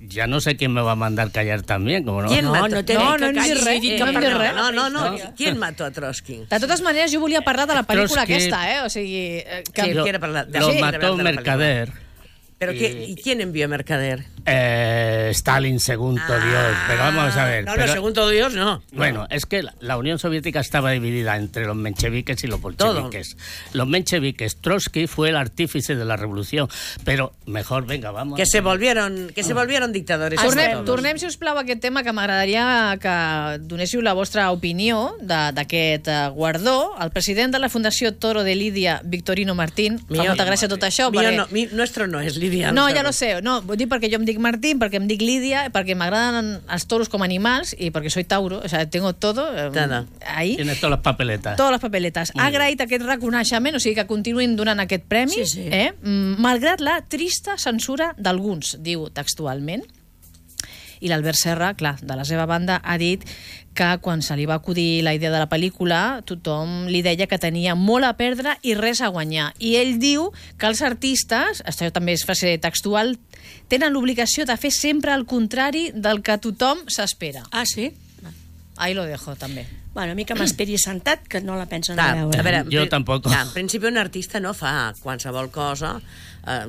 S16: ya no sé quién me va a mandar callar también, como no.
S15: ¿Quién
S17: No,
S15: mató?
S17: no té
S14: No,
S17: que
S14: no hem dit
S17: calli,
S14: res,
S17: dit
S14: no
S17: que
S14: hem dit
S17: parlem.
S14: res.
S15: No, no, no. ¿Quién mató a Trotsky?
S14: De totes maneres, jo volia parlar de la pel·lícula
S16: Trotsky-
S14: aquesta, eh? O sigui, eh, que...
S15: Sí,
S16: Lo,
S15: quiere hablar de-
S16: lo
S15: sí, quiere
S16: mató
S15: hablar de la
S16: Mercader.
S15: ¿Pero
S16: Y-
S15: qué, ¿y quién envió a Mercader?
S16: Eh, Stalin, segundo Dios. Pero vamos a ver.
S15: No,
S16: pero-
S15: no, segundo Dios, no.
S16: Bueno, es que la, la Unión Soviética estaba dividida entre los mencheviques y los bolcheviques. Los mencheviques, Trotsky fue el artífice de la revolución, pero mejor, venga, vamos.
S15: Que se volvieron, que se volvieron dictadores.
S14: Tornem,
S15: todos.
S14: tornem, si us plau, a aquest tema, que m'agradaria que donéssiu la vostra opinió de- d'aquest eh, guardó. El president de la Fundació Toro de Lídia, Victorino Martín, fa
S15: Mío-
S14: molta gràcia tot això.
S15: Mío
S14: perquè...
S15: no, mi- nuestro no es Lidia.
S14: No, ja lo sé. No, vull dir perquè jo em dic Martín, perquè em dic Lídia, perquè m'agraden els toros com a animals i perquè soy tauro, o sea, tengo todo eh,
S15: Todo.
S14: ahí.
S16: Tienes todas las papeletas.
S14: Totes les papeletes. Ha agraït aquest reconeixement, o sigui que continuïn donant aquest premi,
S17: Sí, sí.
S14: Eh? Mm, malgrat la trista censura d'alguns, diu textualment. I l'Albert Serra, clar, de la seva banda, ha dit que quan se li va acudir la idea de la pel·lícula, tothom li deia que tenia molt a perdre i res a guanyar. I ell diu que els artistes, això també és frase textual, tenen l'obligació de fer sempre el contrari del que tothom s'espera.
S17: Ah, sí?
S14: Ahí lo dejo, també.
S17: Bueno, a mi que m'esperi sentat, que no la pensen
S15: Clar,
S17: a veure.
S15: a veure,
S16: Jo
S15: en-
S16: tampoc.
S15: clar, en principi un artista no fa qualsevol cosa eh,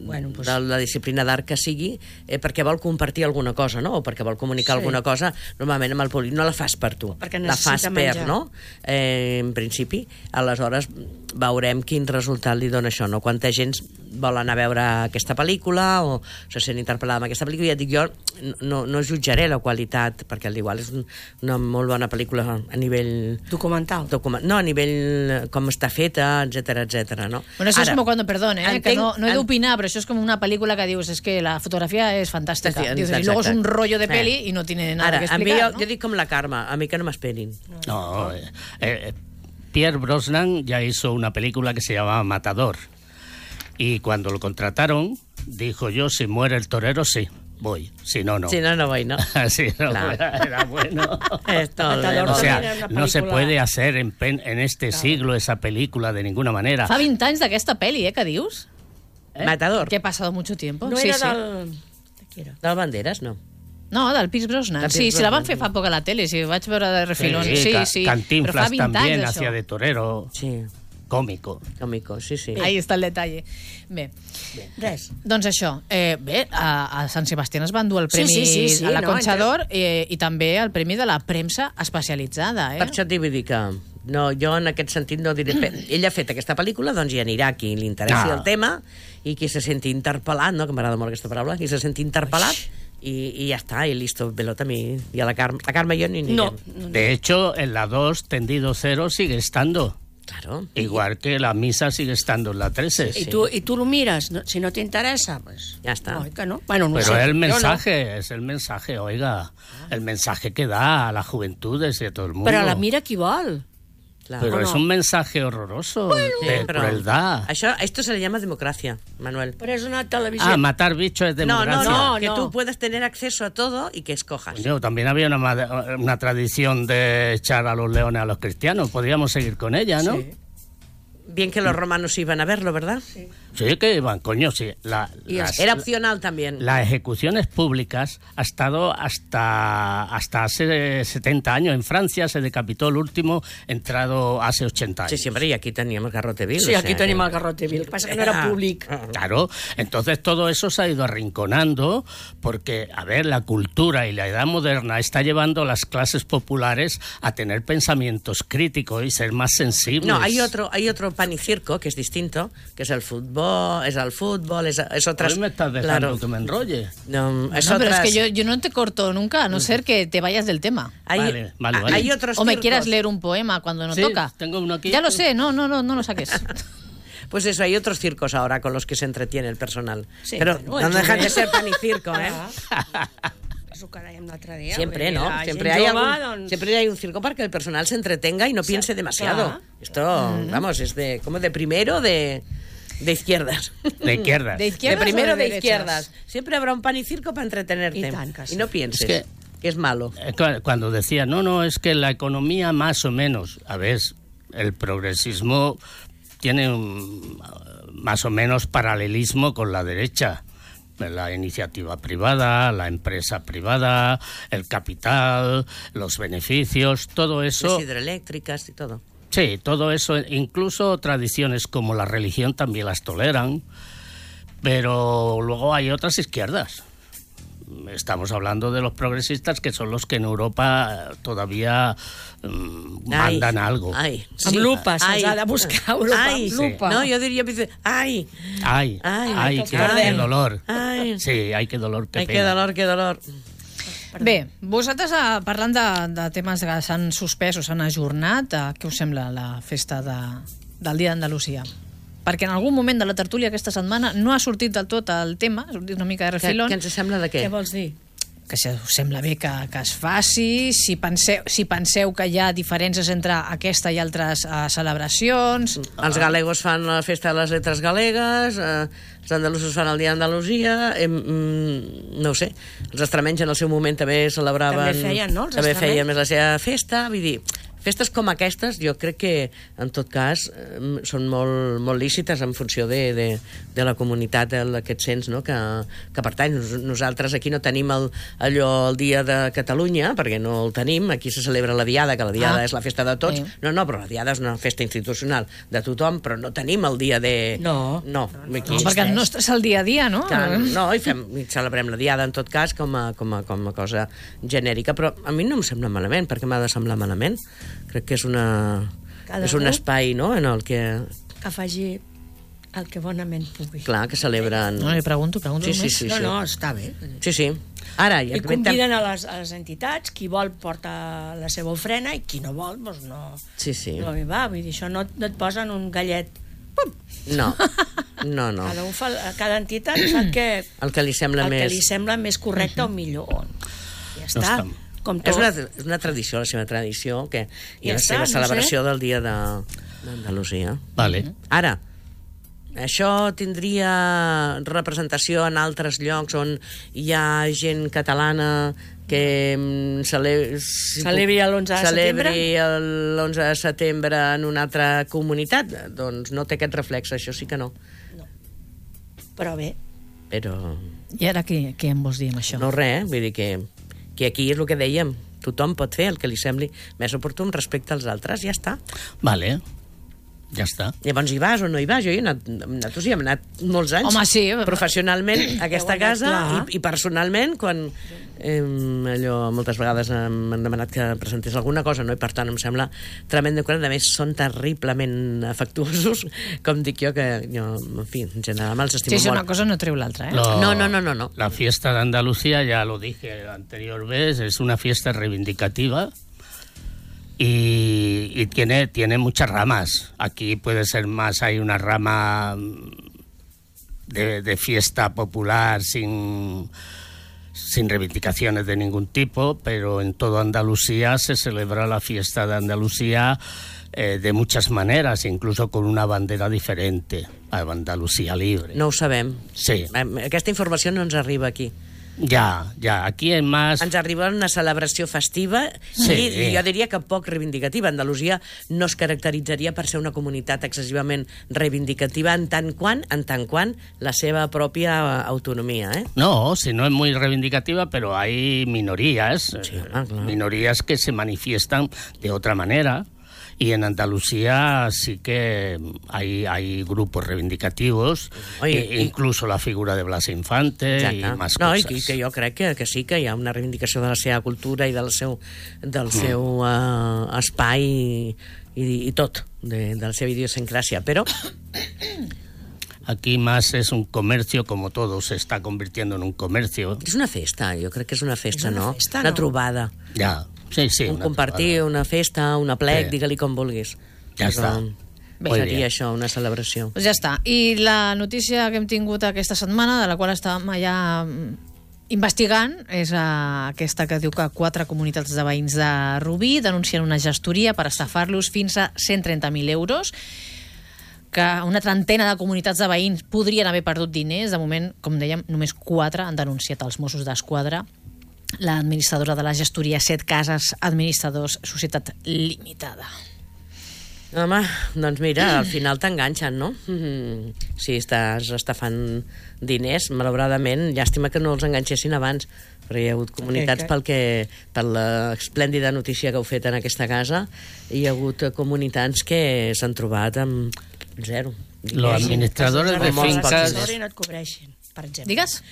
S15: bueno, pues... de la disciplina d'art que sigui eh, perquè vol compartir alguna cosa, no? O perquè vol comunicar
S17: Sí.
S15: alguna cosa, normalment amb el públic. No la fas per tu,
S17: Perquè
S15: la fas
S17: necessita
S15: per,
S17: menjar.
S15: no? Eh, en principi, aleshores veurem quin resultat li dona això, no? Quanta gent vol anar a veure aquesta pel·lícula o se sent interpel·lada amb aquesta pel·lícula. Ja et dic, jo no, no jutjaré la qualitat, perquè al igual és un, una molt bona pel·lícula a nivell...
S17: Documental.
S15: Document, no, a nivell com està feta, etcètera, etcètera, no?
S14: Bueno, eso
S15: Ara,
S14: es como cuando, perdón, ¿eh? que
S15: entenc-
S14: no, no he
S15: en-
S14: d'opinar, pero eso es como una película que dius, es que la fotografía es fantástica.
S15: Sí,
S14: Dices, y
S15: exacte.
S14: luego es un rollo de
S15: Eh.
S14: peli y no tiene nada
S15: Ara,
S14: que
S15: a mi
S14: explicar,
S15: jo, jo dic com la Carme, a mi que no m'esperin.
S16: No, eh, eh, Pierre Brosnan ya hizo una película que se llamaba Matador. Y cuando lo contrataron, dijo yo, si muere el torero, sí, voy. Si no, no.
S15: Si no, no voy, ¿no?
S16: Si no,
S15: Claro.
S16: era, era bueno.
S15: Esto,
S17: Matador
S16: O
S17: también
S16: sea,
S17: era una
S16: no se
S17: pel·lícula-
S16: puede hacer en, pen- en este siglo esa película de ninguna manera.
S14: Fa vint anys d'aquesta peli, eh, que dius?
S15: Eh? Matador.
S14: Que ha pasado mucho tiempo.
S17: No
S14: sí,
S17: era
S14: sí.
S17: del... De qui era?
S15: Del Banderas, no.
S14: No, del Pierce Brosnan.
S15: Del
S14: Sí,
S15: Pierce
S14: sí, la van
S15: Brosnan.
S14: fer fa poc a la tele, sí, vaig veure de refilón.
S16: Sí,
S14: Sí,
S16: Ca-
S14: sí.
S16: Cantinflas
S14: Però fa vint
S16: también
S14: anys,
S16: hacía
S14: això.
S16: de torero.
S15: Sí.
S16: Cómico.
S15: Cómico, sí, sí.
S14: Ahí està el detall. Bé,
S17: Res.
S14: doncs això. Eh, bé, a, a Sant Sebastián es van dur el
S17: Sí,
S14: premi
S17: sí, sí, sí,
S14: a la
S17: no,
S14: Concha
S17: entre-
S14: d'Or eh, i també el premi de la premsa especialitzada. Eh?
S15: Per això et vull dir que no, jo en aquest sentit no diré... Ella ha fet aquesta pel·lícula, doncs hi anirà qui li interessi
S16: Ah.
S15: el tema i qui se senti interpel·lat, no? Que m'agrada molt aquesta paraula, qui se senti interpel·lat i, i ja està, i listo, pelota a mi i a la Carme, la Carme i jo ni anirem.
S17: No, no, no.
S16: De hecho, en la dos, tendido cero sigue estando.
S15: Claro.
S16: Igual que la misa sigue estando en la trece.
S17: I tu, i tu lo mires, no, si no t'interessa, pues...
S15: Ja està.
S17: No, que no. Bueno, no
S16: Pero
S17: sé.
S16: el
S17: Yo no.
S16: mensaje, es el mensaje, oiga, el mensaje que da a las juventudes y a todo el mundo.
S17: Però la mira qui vol.
S15: Clar.
S16: Pero
S17: ¿o
S16: es
S17: no?
S16: un mensaje horroroso
S15: Sí,
S16: de
S15: però
S16: crueldad.
S15: Això, esto se le llama democracia, Manuel.
S17: Però és una televisió...
S16: Ah, matar bichos es
S15: No,
S16: democracia.
S15: no, no,
S17: No,
S15: que
S17: no.
S15: tú puedas tener acceso a todo y que escojas.
S16: Yo, también había una, ma- una tradición de echar a los leones a los cristianos. Podríamos seguir con ella, ¿no?
S17: Sí.
S15: Bien que los romanos iban a verlo, ¿verdad?
S17: Sí.
S16: Sí, que iban, coño, sí. La,
S15: Y
S16: las-
S15: era opcional también.
S16: Las ejecuciones públicas ha estado hasta, hasta hace setenta años. En Francia se decapitó el último, entrado hace ochenta años.
S15: Sí, siempre, y aquí teníamos Garrote Vil.
S17: Sí, aquí tenim el Garrote Vil. El que passa que no era públic.
S16: Claro, entonces todo eso se ha ido arrinconando porque, a ver, la cultura y la edad moderna está llevando a las clases populares a tener pensamientos críticos y ser más sensibles.
S15: No, hay otro, hay otro pan y circo que es distinto, que es el fútbol, es el fútbol, es, es otras...
S16: Hoy me estás dejando
S15: Claro.
S16: que me enrolle.
S15: No, es
S14: No, pero
S15: otras...
S14: es que yo, yo no te corto nunca, a no ser que te vayas del tema.
S15: Hay,
S16: Vale, vale, vale.
S15: hay otros
S14: O me
S15: circos.
S14: quieras leer un poema cuando no
S16: Sí,
S14: toca.
S16: tengo uno aquí.
S14: Ya lo sé, no, no, no, no lo saques.
S15: Pues eso, hay otros circos ahora con los que se entretiene el personal.
S17: Sí,
S15: pero
S17: bueno,
S15: no dejan de
S17: el
S15: ser pan y circo, ¿eh?
S17: Eso que dèiem l'altre dia.
S15: Siempre,
S17: vull dir,
S15: ¿no?
S17: la
S15: Siempre
S17: gent
S15: hay,
S17: jove,
S15: algún,
S17: doncs...
S15: siempre hay un circo para que el personal se entretenga y no piense demasiado.
S17: claro.
S15: Esto, vamos, es de como de primero de, de izquierdas.
S16: De izquierdas.
S14: ¿De
S15: De
S14: izquierdas
S15: primero
S14: o de
S15: de,
S14: derechas?
S15: izquierdas. Siempre habrá un pan y circo para entretenerte.
S17: Y tan, casi.
S15: Y no pienses
S16: Es que-
S15: que es malo.
S16: Eh, cu- Cuando decía, no, no, es que la economía más o menos, a ver, el progresismo tiene un, más o menos paralelismo con la derecha. La iniciativa privada, la empresa privada, el capital, los beneficios, todo eso.
S15: Las hidroeléctricas y todo.
S16: Sí, todo eso, incluso tradiciones como la religión también las toleran, pero luego hay otras izquierdas. Estamos hablando de los progresistas, que son los que en Europa todavía mm,
S15: Ai,
S16: mandan algo.
S15: Ai,
S17: Amb lupa, se'ls ha de buscar Europa,
S15: Ai,
S17: amb lupa.
S15: No, yo diría, ay,
S16: Ay,
S15: Ai,
S16: ay,
S15: tots
S16: qué,
S15: perdem.
S16: qué dolor.
S15: Ai.
S16: Sí, ay, qué dolor, qué
S15: ay, qué
S16: pena.
S15: dolor, qué dolor.
S14: Bé, vosaltres, eh, parlant de, de temes que s'han suspès o s'han ajornat, eh, què us sembla la festa de, del Dia d'Andalusia? Perquè en algun moment de la tertúlia aquesta setmana no ha sortit del tot el tema, ha sortit una mica de
S15: Què,
S14: refilón.
S15: què ens sembla de què?
S17: Què vols dir?
S14: Que si us sembla bé que, que es faci, si penseu, si penseu que hi ha diferències entre aquesta i altres uh, celebracions...
S15: Els galegos fan la festa de les lletres galegues, eh, els andalusos fan el dia d'Andalusia, eh, mm, no ho sé, els extremenys en el seu moment també celebraven...
S17: També feien, no, els
S15: També
S17: extremenys?
S15: feien més la seva festa, vull dir, festes com aquestes jo crec que en tot cas eh, són molt, molt lícites en funció de, de, de la comunitat d'aquest cens, no? que, que pertany. Nos, nosaltres aquí no tenim el, allò el dia de Catalunya, perquè no el tenim, aquí se celebra la Diada, que la Diada
S14: Ah.
S15: és la festa de tots,
S14: Sí.
S15: no, no, però la Diada és una festa institucional de tothom, però no tenim el dia de...
S17: No.
S15: No, aquí...
S14: No, perquè el nostre és el dia a dia, no?
S15: Que, no, i, fem, i celebrem la Diada en tot cas com a, com, a, com a cosa genèrica, però a mi no em sembla malament. Per què m'ha de semblar malament? Crec que és una
S17: Cada
S15: és un
S17: u-
S15: espai, no?, en el que,
S17: Que faci el que bonament pugui.
S15: clar, que celebren...
S14: No, li pregunto, pregunto
S15: Sí, sí,
S14: només.
S15: sí,
S17: no,
S15: sí.
S17: no, està bé.
S15: Sí, sí. Ara, ja
S17: I conviden a les, a les entitats, qui vol porta la seva ofrena i qui no vol, doncs no,
S15: Sí, sí.
S17: no hi va. Vull dir, això no, no et posen un gallet.
S15: No, no, no.
S17: Cada, un fa, cada entitat fa el que,
S15: El que li sembla
S17: el
S15: més...
S17: que li sembla més correcte o millor. Ja
S16: No
S17: està.
S16: està-
S17: Com
S15: És
S17: tot.
S15: una, és una tradició, la seva tradició, que, i
S17: Ja
S15: la
S17: està,
S15: seva
S17: no
S15: celebració
S17: sé.
S15: del dia de, d'Andalusia.
S16: Vale.
S15: Ara, això tindria representació en altres llocs on hi ha gent catalana que mm, cele... si
S17: Celebri
S15: puc-
S17: l'onze de
S15: celebri
S17: setembre?
S15: l'onze de setembre en una altra comunitat? Doncs no té aquest reflex, això sí que no.
S17: Però bé,
S15: Però
S14: I ara què, què em vols dir amb això?
S15: no res, eh? Vull dir que Que aquí és el que dèiem, tothom pot fer el que li sembli més oportú respecte als altres, ja està.
S16: Vale, ja està.
S15: Llavors hi vas o no hi vas? Jo hi he anat, nosaltres hi hem anat molts anys.
S14: Home, sí.
S15: Professionalment a aquesta casa i, i personalment, quan eh, allò moltes vegades m'han demanat que presentés alguna cosa, no? I per tant em sembla tremend de quan, a més són terriblement afectuosos, com dic jo, que jo, en fi, en general me'ls estimo
S14: sí, sí,
S15: molt.
S14: una cosa no treu l'altra, ¿eh?
S16: Lo-
S15: No, no, no, no, no.
S16: La fiesta de Andalucía, ya lo dije la anterior vez, es una fiesta reivindicativa y, y tiene, tiene muchas ramas. Aquí puede ser más, hay una rama de, de fiesta popular sin, sin reivindicaciones de ningún tipo, pero en toda Andalucía se celebra la fiesta de Andalucía eh, de muchas maneras, incluso con una bandera diferente, a Andalucía Libre.
S15: No ho sabem.
S16: Sí.
S15: Aquesta informació no ens arriba aquí.
S16: Ya, ya, aquí es más...
S15: Ens arriba una celebració festiva
S16: Sí.
S15: i jo diria que poc reivindicativa. Andalusia no es caracteritzaria per ser una comunitat excessivament reivindicativa en tant quant, en tant quant la seva pròpia autonomia, eh?
S16: No, si no es muy reivindicativa, pero hay minorías,
S15: Sí,
S16: eh,
S15: ah, claro.
S16: minorías que se manifiestan de otra manera. Y en Andalucía sí que hay, hay grupos reivindicativos,
S15: Oye,
S16: e-
S15: y-
S16: incluso la figura de Blas Infante
S15: Exacte.
S16: y más
S15: no,
S16: cosas.
S15: i que jo crec que, que sí que hi ha una reivindicació de la seva cultura i del seu, del
S16: Mm.
S15: seu uh, espai i, i, i tot, de, de la seva idiosincràsia, però
S16: Aquí más es un comercio, como todo se está convirtiendo en un comercio.
S15: és una festa, jo crec que és una festa,
S17: És una
S15: no?
S17: festa,
S15: una
S17: no?
S15: trobada.
S16: Ya, sí, sí.
S15: un
S16: una
S15: compartir, una festa, un aplec,
S16: Sí.
S15: digue-li com vulguis.
S16: Ja està.
S15: Bé,
S16: Muy
S15: seria
S16: bien.
S15: això, una celebració.
S14: Pues ja està. I la notícia que hem tingut aquesta setmana, de la qual estàvem allà mm, investigant, és uh, aquesta que diu que quatre comunitats de veïns de Rubí denuncien una gestoria per estafar-los fins a cent trenta mil euros, que una trentena de comunitats de veïns podrien haver perdut diners. De moment, com dèiem, només quatre han denunciat als Mossos d'Esquadra. L'administradora de la gestoria Set Cases Administradors Societat Limitada.
S15: Home, doncs mira, al final t'enganxen, no? Mm, si estàs estafant diners, malauradament, llàstima que no els enganxessin abans, però hi ha hagut comunitats pel que, per l'esplèndida notícia que heu fet en aquesta casa, hi ha hagut comunitats que s'han trobat amb zero.
S16: Los administradores de
S15: Molts pocs
S16: fincas...
S15: diners.
S17: I no et cobreixin, per exemple.
S14: Digues.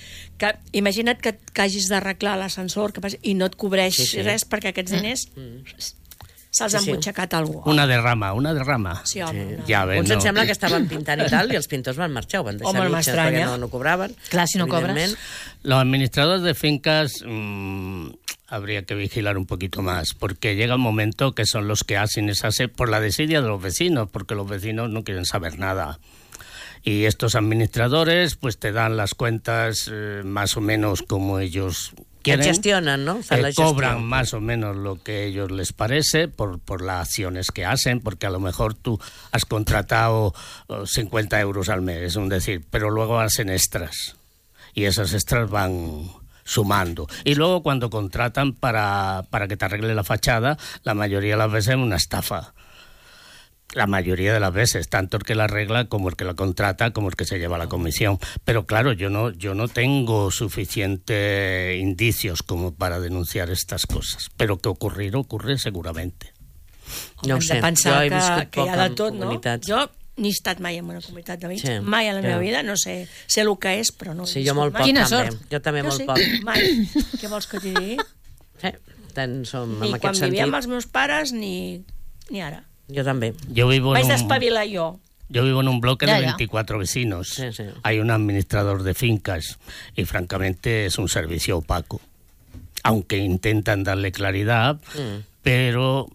S17: Que, imagina't que, que hagis d'arreglar l'ascensor que passi, i no et cobreix
S16: Sí, sí.
S17: res perquè aquests diners se'ls
S16: Sí,
S17: han
S16: sí.
S17: butxacat a algú.
S16: Una derrama, una derrama.
S17: Sí, home,
S16: Ja ves,
S15: Uns
S16: no?
S15: em sembla que estaven pintant i tal, i els pintors van marxar, ho van deixar
S17: Home,
S15: mig,
S17: m'estranya.
S15: perquè no, no cobraven.
S14: Clar, si no cobres.
S15: evidentment.
S16: Los administradores de fincas mmm, habría que vigilar un poquito más, porque llega un momento que son los que hacen esa se- por la desidia de los vecinos, porque los vecinos no quieren saber nada. Y estos administradores pues te dan las cuentas eh, más o menos como ellos quieren.
S15: gestionen, no? Fan
S16: Eh,
S15: la gestió.
S16: cobran más o menos lo que a ellos les parece por, por las acciones que hacen, porque a lo mejor tú has contratado oh, cincuenta euros al mes, es un decir, pero luego hacen extras y esas extras van sumando. Y luego cuando contratan para, para que te arregle la fachada, la mayoría de las veces es una estafa. La mayoría de las veces, tanto el que la arregla como el que la contrata, como el que se lleva la comisión. Pero claro, yo no, yo no tengo suficientes indicios como para denunciar estas cosas. Pero que ocurrir, ocurre seguramente.
S15: No ho
S17: Hem
S15: sé,
S17: de pensar
S15: jo he
S17: que,
S15: viscut
S17: que hi
S15: poc
S17: ha de
S15: en
S17: tot, no?
S15: comunitats.
S17: Jo ni he estat mai en una comunitat de veïns,
S15: Sí,
S17: mai a la
S15: ja.
S17: meva vida, no sé, sé el que és, però no ho he
S15: Sí, jo
S17: viscut
S15: molt
S17: mai.
S15: poc, Quina també. sort. Jo també
S17: jo
S15: molt
S17: sí,
S15: poc.
S17: Mai. Què vols que t'hi digui?
S15: Sí, tant som
S17: Ni
S15: en
S17: quan
S15: aquest
S17: vivia
S15: sentit.
S17: amb els meus pares, ni, ni ara.
S15: Jo també.
S16: Yo vivo en
S17: Vaig
S16: un...
S17: despavilar jo.
S16: Yo vivo en un bloque
S17: Ya,
S16: de
S17: ya.
S16: veinticuatro vecinos.
S15: Sí, sí.
S16: Hay un administrador de fincas y francamente es un servicio opaco. Aunque intentan darle claridad,
S15: Mm.
S16: pero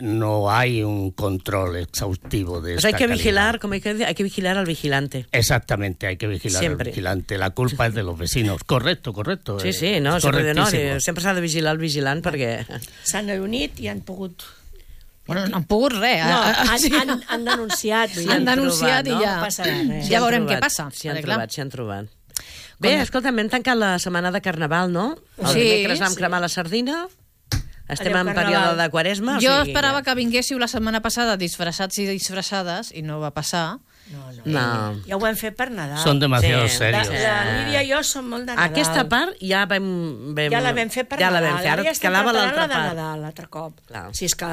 S16: no hay un control exhaustivo de
S15: Pues
S16: esta
S15: hay que
S16: calidad.
S15: vigilar, como hay que decir, hay que vigilar al vigilante.
S16: Exactamente, hay que vigilar
S15: Siempre.
S16: al vigilante. La culpa es de los vecinos. Correcto, correcto.
S15: Sí,
S16: eh,
S15: sí, no,
S16: es
S15: sempre, no,
S16: correctísimo.
S15: sempre s'ha de vigilar el vigilant perquè...
S17: S'han reunit i han pogut...
S14: Bueno, no han pogut res.
S17: No,
S14: eh?
S17: han,
S14: Sí.
S17: han, han denunciat. vull dir,
S14: Han denunciat i
S17: no?
S14: ja.
S17: No passarà res.
S14: Ja veurem què passa.
S15: S'hi han
S14: perquè, clar,
S15: trobat, s'hi han trobat. Bé, escolta, hem tancat la setmana de Carnaval, no? El
S14: Sí,
S15: dimecres vam
S14: sí.
S15: cremar la sardina, estem
S14: Adéu,
S15: en
S14: Carnaval.
S15: període de quaresma. o
S14: Jo
S15: sigui
S14: esperava que vinguéssiu la setmana passada disfressats i disfressades, i no va passar.
S17: No, no.
S15: No.
S17: Ja ho hem fet per Nadal.
S16: Són demasiado
S15: Sí.
S16: serios.
S17: La, la Lídia i jo som molt de Nadal.
S15: Aquesta part ja vam... vam
S17: Ja la vam fer per
S15: ja
S17: Nadal.
S15: la vam fer, ara
S17: ja estem
S15: quedava
S17: preparant
S15: l'altra
S17: la de
S15: part.
S17: Nadal, l'altre cop.
S15: Clar.
S17: Si és que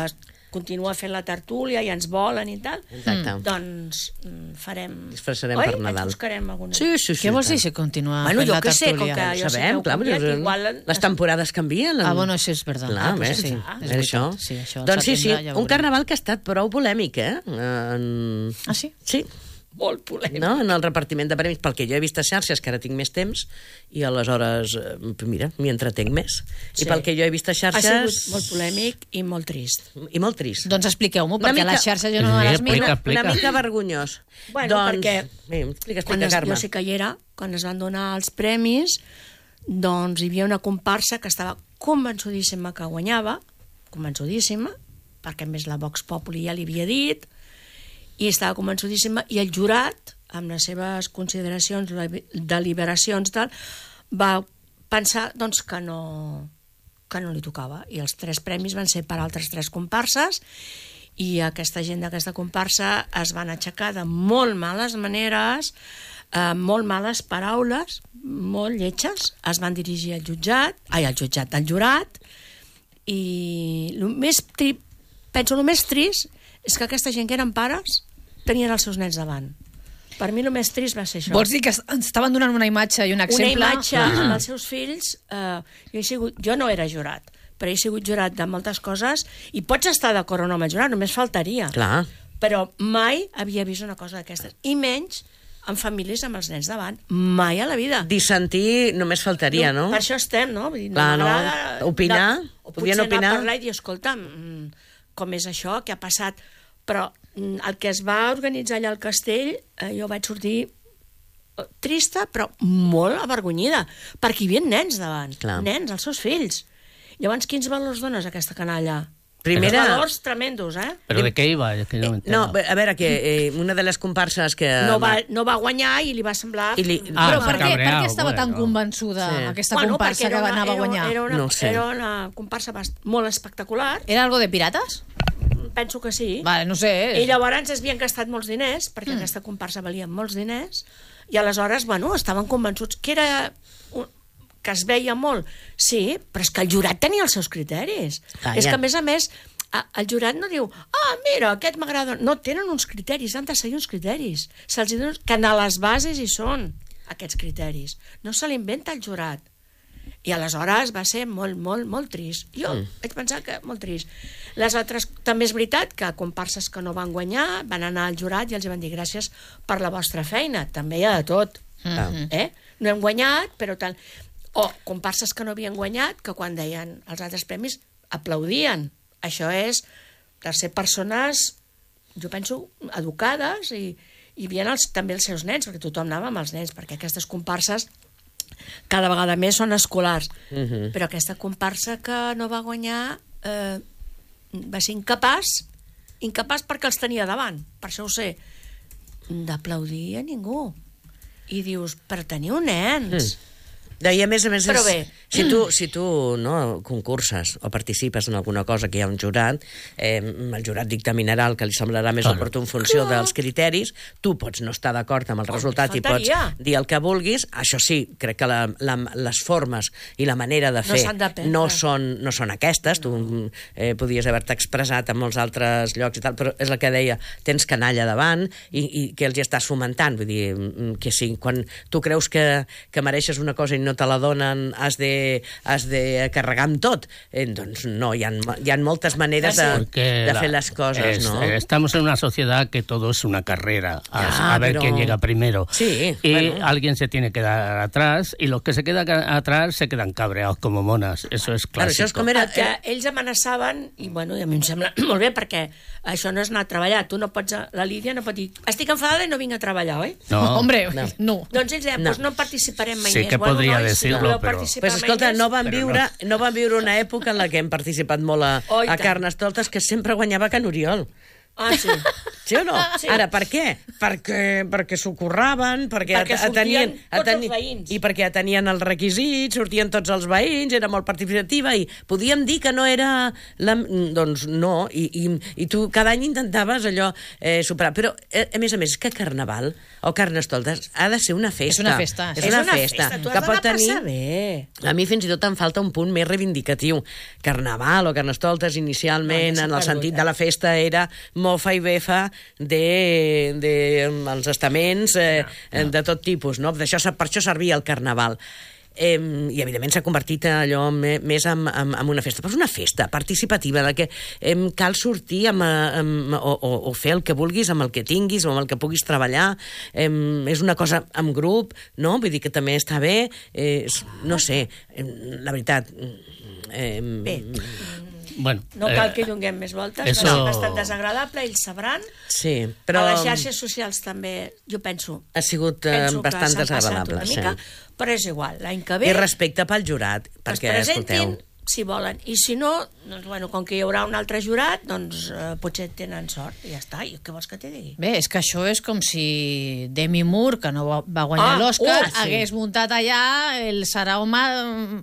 S17: continua fent la tertúlia i ens volen i tal,
S15: Exacte.
S17: doncs mm, farem...
S15: Disfressarem
S17: Oi?
S15: per Nadal.
S17: Ens buscarem alguna.
S15: Sí, sí, sí.
S14: Què vols dir
S15: tant.
S14: si continua
S17: Bueno,
S14: fent
S17: jo
S14: la
S17: què sé, com
S14: tertúlia?
S17: que jo sé que
S15: Sabem,
S17: heu
S15: clar,
S17: canviat,
S15: però
S17: igual...
S15: les temporades canvien.
S14: Ah, bueno, això és verdad.
S15: Clar,
S14: Ah, pues
S15: ves,
S14: sí,
S15: sí,
S14: és
S15: és això.
S14: veritat. Sí, això al
S15: Doncs sí, sí,
S14: setembre ja ho
S15: un
S14: veurem.
S15: carnaval que ha estat prou polèmic, eh? En...
S14: Ah, sí?
S15: Sí.
S17: Molt polèmic.
S15: No? En el repartiment de premis, pel que jo he vist a xarxes, que ara tinc més temps, i aleshores, eh, mira, m'hi entretenc més.
S17: Sí.
S15: I pel que jo he vist a
S17: Ha
S15: xarxes...
S17: sigut molt polèmic i molt trist.
S15: I molt trist.
S14: Doncs expliqueu-m'ho,
S15: Una
S14: perquè a
S15: mica-
S14: les xarxes jo no me les miro.
S15: Una, una mica vergonyós.
S17: Bueno,
S15: doncs...
S17: perquè
S15: Bé, explica,
S17: quan
S15: explica,
S17: es,
S15: Carme.
S17: jo sí que hi era, quan es van donar els premis, doncs hi havia una comparsa que estava convençudíssima que guanyava, convençudíssima, perquè a més la Vox Populi ja li havia dit, i estava convençudíssima, i el jurat, amb les seves consideracions, deliberacions, tal, va pensar doncs, que, no, que no li tocava. I els tres premis van ser per altres tres comparses, i aquesta gent d'aquesta comparsa es van aixecar de molt males maneres, eh, molt males paraules, molt lletges, es van dirigir al jutjat, ai, al jutjat, al jurat, i el més tri, penso el més trist és que aquesta gent que eren pares tenien els seus nens davant. Per mi el més trist va ser això.
S14: Vols dir que ens estaven donant una imatge i un exemple?
S17: Una imatge amb els seus fills. Eh, jo, he sigut, jo no era jurat, però he sigut jurat de moltes coses i pots estar d'acord o no amb el jurat, només faltaria.
S15: Clar.
S17: Però mai havia vist una cosa d'aquestes. I menys amb famílies amb els nens davant. Mai a la vida.
S15: Dissentir només faltaria, no?
S17: Per això estem, no? Vull dir,
S15: Clar, no.
S17: m'agrada
S15: Opinar?
S17: de- O
S15: Podien
S17: potser anar
S15: opinar?
S17: a parlar i dir, escolta, mm, com és això, què ha passat? Però mm, el que es va organitzar allà al castell, eh, jo vaig sortir eh, trista, però molt avergonyida, perquè hi havia nens davant.
S15: Clar.
S17: Nens, els seus fills. Llavors, quins valors dones a aquesta canalla?
S15: Primera-
S17: Uns valors tremendos, eh?
S16: ¿Pero de qué iba? Es que no me
S15: No,
S16: entero.
S15: a veure, que eh, una de les comparses que...
S17: No va, no va guanyar i li va semblar...
S15: I li-
S14: Ah, però
S16: Ah,
S14: per què, per
S16: cabreado,
S14: què estava
S16: bueno.
S14: tan convençuda
S15: Sí.
S14: aquesta
S17: Bueno,
S14: comparsa
S17: perquè
S14: que
S17: era una-
S14: anava a
S17: era-
S14: guanyar?
S17: Era una,
S15: No ho sé.
S17: era una comparsa bast- molt espectacular.
S14: Era algo de pirates?
S17: Penso que sí.
S14: Vale, no sé.
S17: I llavors es havien gastat molts diners, perquè mm. aquesta comparsa valia molts diners, i aleshores, bueno, estaven convençuts que era... Un, que es veia molt. Sí, però és que el jurat tenia els seus criteris.
S15: Ah,
S17: és
S15: ja.
S17: que, a més a més, a- el jurat no diu ah, mira, aquest m'agrada... No, tenen uns criteris, han de seguir uns criteris. Se'ls diu que a les bases hi són aquests criteris. No se l'inventa el jurat. I aleshores va ser molt, molt, molt trist. Jo mm. vaig pensar que molt trist. Les altres, també és veritat que comparses que no van guanyar van anar al jurat i els van dir gràcies per la vostra feina. També hi ha de tot.
S14: Mhm.
S17: Eh? No hem guanyat, però tal... O comparses que no havien guanyat, que quan deien els altres premis aplaudien. Això és de ser persones, jo penso, educades i, i hi havia els, també els seus nens, perquè tothom anava amb els nens, perquè aquestes comparses cada vegada més són escolars.
S15: Uh -huh.
S17: Però aquesta comparsa que no va guanyar eh, va ser incapaç, incapaç perquè els tenia davant, per això ho sé, d'aplaudir a ningú. I dius, però teniu nens.
S15: Mm. Deia, a més a més,
S17: Però
S15: és,
S17: bé.
S15: si tu, si tu no, concurses o participes en alguna cosa que hi ha un jurat, eh, el jurat dictaminarà el que li semblarà més
S16: Claro.
S15: oportú en funció dels criteris, tu pots no estar d'acord amb el resultat i pots
S17: faltaria.
S15: dir el que vulguis. Això sí, crec que la, la, les formes i la manera de
S17: No
S15: fer
S17: s'han d'aprendre.
S15: no, són, no són aquestes. Tu eh, podies haver-te expressat en molts altres llocs i tal, però és el que deia, tens canalla davant i, i que els hi estàs fomentant. Vull dir, mm, que sí, quan tu creus que, que mereixes una cosa i no te la donen, has de, has de carregar amb tot. Eh, doncs no, hi ha, hi ha moltes maneres de,
S16: Porque
S15: de
S16: la-
S15: fer les coses,
S16: es-
S15: no?
S16: Estamos en una sociedad que todo es una carrera, a,
S15: Ya,
S16: a ver
S15: pero-
S16: quién llega primero.
S15: Sí,
S16: y
S15: bueno.
S16: alguien se tiene que dar atrás, y los que se quedan ca- atrás se quedan cabreados como monas. Eso es
S15: Claro,
S16: clásico.
S15: això és com era...
S17: El que ells amenaçaven, i bueno, i a mi em sembla molt bé, perquè això no és anar a treballar. Tu no pots, la Lídia no pot dir, estic enfadada i no vinc a treballar, oi?
S16: No.
S14: Hombre,
S15: No.
S14: no.
S17: Doncs ells deien,
S15: No.
S17: doncs no participarem mai
S16: Sí
S17: més.
S16: que podria
S17: nois,
S16: decirlo,
S17: voleu
S16: però-
S17: participar
S15: Pues
S17: mai
S15: escolta,
S17: més?
S15: no van,
S16: Però
S15: viure, no. no van viure una època en la que hem participat molt a,
S17: Oh, i
S15: a
S17: tant.
S15: Carnestoltes, que sempre guanyava Can Oriol.
S17: Ah, sí.
S15: Sí o no?
S17: Sí.
S15: Ara, per què? Perquè, perquè s'ho curraven, perquè,
S17: Perquè
S15: at-
S17: sortien tots
S15: ateni-
S17: els veïns.
S15: I perquè atenien els requisits, sortien tots els veïns, era molt participativa, i podíem dir que no era... La... Doncs no, i, i, i tu cada any intentaves allò eh, superar. Però, eh, a més a més, és que Carnaval o Carnestoltes ha de ser una festa.
S14: És una festa,
S15: És
S14: sí.
S15: una
S17: És una
S15: festa.
S17: festa, tu has
S15: que pot
S17: d'anar a
S15: tenir...
S17: passar bé.
S15: A mi fins i tot em falta un punt més reivindicatiu. Carnaval o Carnestoltes inicialment,
S17: No, ja s'ha
S15: en el
S17: perdut,
S15: sentit
S17: eh?
S15: de la festa, era mofa i befa de, de els estaments eh, no, no. de tot tipus, no? D'això, per això servia el Carnaval. Eh, i evidentment s'ha convertit allò me, més en, en, en una festa, però és una festa participativa, de que eh, cal sortir amb, amb, o, o, o fer el que vulguis amb el que tinguis o amb el que puguis treballar. Eh, és una cosa en grup, no? Vull dir que també està bé, eh, no sé, eh, la veritat... Eh,
S17: Bé.
S16: Bueno,
S17: No cal
S16: eh,
S17: que hi donem més voltes,
S16: eso-
S17: això... ha estat desagradable, ells sabran.
S15: Sí, però...
S17: A les xarxes socials també, jo penso...
S15: Ha sigut eh,
S17: penso que
S15: bastant
S17: s'han passat
S15: desagradable,
S17: una
S15: sí.
S17: mica, però és igual, l'any que ve...
S15: I respecte pel jurat,
S17: que es
S15: perquè,
S17: presentin,
S15: escolteu...
S17: si volen. I si no, doncs, bueno, com que hi haurà un altre jurat, doncs eh, potser tenen sort, i ja està. I què vols que te digui?
S14: Bé, és que això és com si Demi Moore, que no va- va guanyar
S17: Ah,
S14: l'Oscar,
S17: uh, sí.
S14: hagués muntat allà el Sarao ma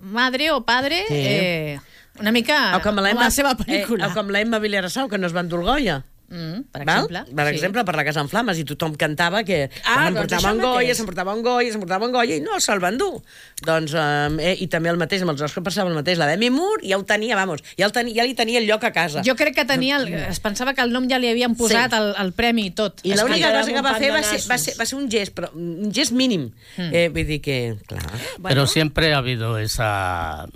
S14: Madre o Padre,
S15: Sí.
S14: eh, una mica
S15: O com
S14: com
S15: l'Emma
S14: la seva pel·lícula.
S15: Eh, o com l'Emma Villarasau, que no es va endur el Goya.
S14: Mm, per
S15: Val?
S14: exemple.
S15: Per
S14: sí.
S15: exemple, per la Casa en Flames, i tothom cantava que
S17: Ah, doncs
S15: s'emportava
S17: això
S15: un Goya,
S17: mateix.
S15: s'emportava un Goya, s'emportava un Goya, i no se'l van dur. Doncs, eh, i també el mateix, amb els Oscars passava el mateix. La Demi Moore ja ho tenia, vamos, ja, el tenia, ja li tenia el lloc a casa.
S14: Jo crec que tenia... El, es pensava que el nom ja li havien posat
S15: Sí.
S14: el, el premi i tot.
S15: I
S14: És
S15: l'única
S14: que-
S15: cosa que va
S17: un
S15: fer va
S17: pan
S15: ser,
S17: de
S15: va,
S17: nassos.
S15: ser, va ser un gest, però un gest mínim.
S14: Mm.
S15: Eh, vull dir que, clar...
S16: Pero siempre ha habido esa...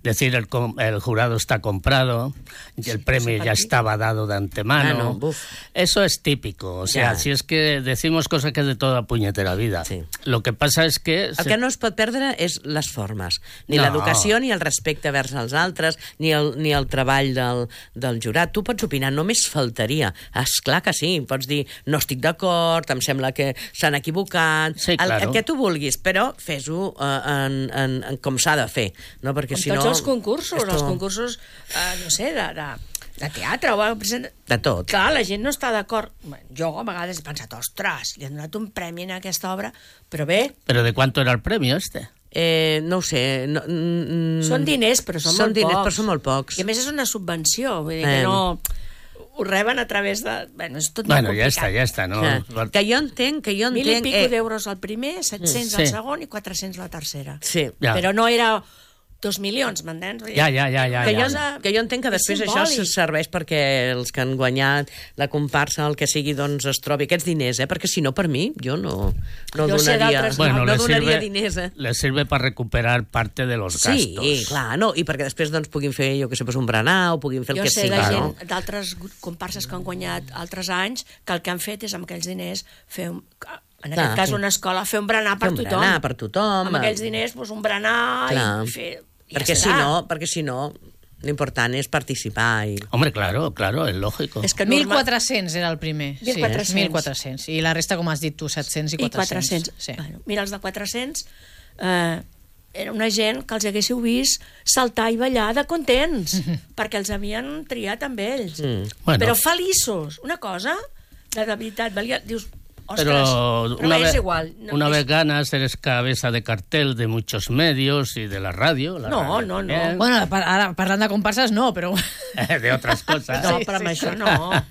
S16: Decir, el, com- el jurado está comprado, y el premio ya estaba dado de antemano.
S15: Ah, no, buf.
S16: Eso es típico. O sea,
S15: Ya.
S16: si es que decimos cosas que es de toda puñetera vida.
S15: Sí.
S16: Lo que pasa es que...
S15: El
S16: se-
S15: que no es pot perdre és les formes. Ni
S16: No.
S15: l'educació, ni el respecte vers els altres, ni el, ni el treball del, del jurat. Tu pots opinar, només faltaria. És clar que sí, pots dir, no estic d'acord, em sembla que s'han equivocat,
S16: Sí,
S15: el,
S16: claro.
S15: el que tu vulguis, però fes-ho eh, en, en, en, com s'ha de fer. No? Perquè
S17: Com
S15: si
S17: tots
S15: no,
S17: els concursos,
S15: esto-
S17: els concursos, eh, no sé, de, de, de teatre o present...
S15: De tot.
S17: Clar, la gent no està d'acord. Bueno, jo a vegades he pensat, ostres, li han donat un premi en aquesta obra, però bé,
S16: ¿Pero de cuánto era el premio este?
S15: Eh, no ho sé. No, mm,
S17: són diners, però són,
S15: són
S17: molt
S15: diners,
S17: pocs.
S15: però són molt pocs.
S17: I a més és una subvenció, vull dir
S15: Eh.
S17: que no... Ho reben a través de... Bueno, és tot
S16: Bueno,
S17: molt
S16: ya
S17: complicat.
S16: está, ya está, ¿no?
S15: Clar. Que jo entenc, que jo
S17: Mil i
S15: entenc...
S17: pico
S15: eh,
S17: d'euros al primer, set-cents
S16: Sí.
S17: al segon i quatre-cents la tercera.
S15: Sí.
S16: Ja.
S17: Però no era dos milions, m'entens? Vull dir,
S16: Ja, ja, ja, ja,
S15: que,
S16: ja.
S15: jo, que jo entenc que
S17: És
S15: després això
S17: simbòlic.
S15: serveix perquè els que han guanyat la comparsa, el que sigui, doncs es trobi aquests diners, eh? Perquè si no, per mi, jo no, no
S17: Jo sé
S15: donaria,
S17: d'altres-
S16: Bueno,
S15: no
S16: le
S15: donaria
S16: sirve,
S15: diners, eh?
S16: le sirve para recuperar parte de los
S15: Sí,
S16: gastos.
S15: clar, no, i perquè després doncs, puguin fer, jo que sé, pues, un berenar o puguin fer el
S17: Jo
S15: que
S17: sé
S15: sigui.
S17: de
S15: no?
S17: gent d'altres comparses que han guanyat altres anys que el que han fet és amb aquells diners fer un, en
S15: Clar,
S17: aquest cas
S15: sí.
S17: una escola, fer un berenar per
S15: Fer un
S17: tothom.
S15: berenar per tothom.
S17: Amb aquells diners, doncs, un berenar
S15: Clar.
S17: i fer... i
S15: Perquè
S17: ja
S15: si
S17: està.
S15: no, perquè si no, l'important és participar i...
S16: Hombre, claro, claro, es lógico.
S17: És que
S14: mil
S17: normal-
S14: quatre-cents era el primer.
S17: mil quatre-cents.
S14: Sí, mil quatre-cents. I la resta, com has dit tu, set-cents i
S17: I
S14: quatre-cents.
S17: quatre-cents.
S14: Sí.
S17: Bueno, mira, els de quatre-cents eh, era una gent que els haguéssiu vist saltar i ballar de contents, perquè els havien triat amb ells.
S15: Mm.
S16: Bueno.
S17: Però feliços. Una cosa, de, de veritat, valia... Dius, ostres,
S16: Pero
S17: però
S16: una,
S17: és
S16: vez,
S17: igual. No,
S16: una
S17: és-
S16: vez ganas, eres cabeza de cartel de muchos medios y de la radio. La
S17: No,
S16: radio
S17: no, no.
S16: también,
S14: Bueno, pa- ara, parlant de comparses, no, però...
S16: de otras cosas.
S17: No,
S14: Sí,
S17: però amb
S14: sí,
S17: això
S14: sí.
S17: no.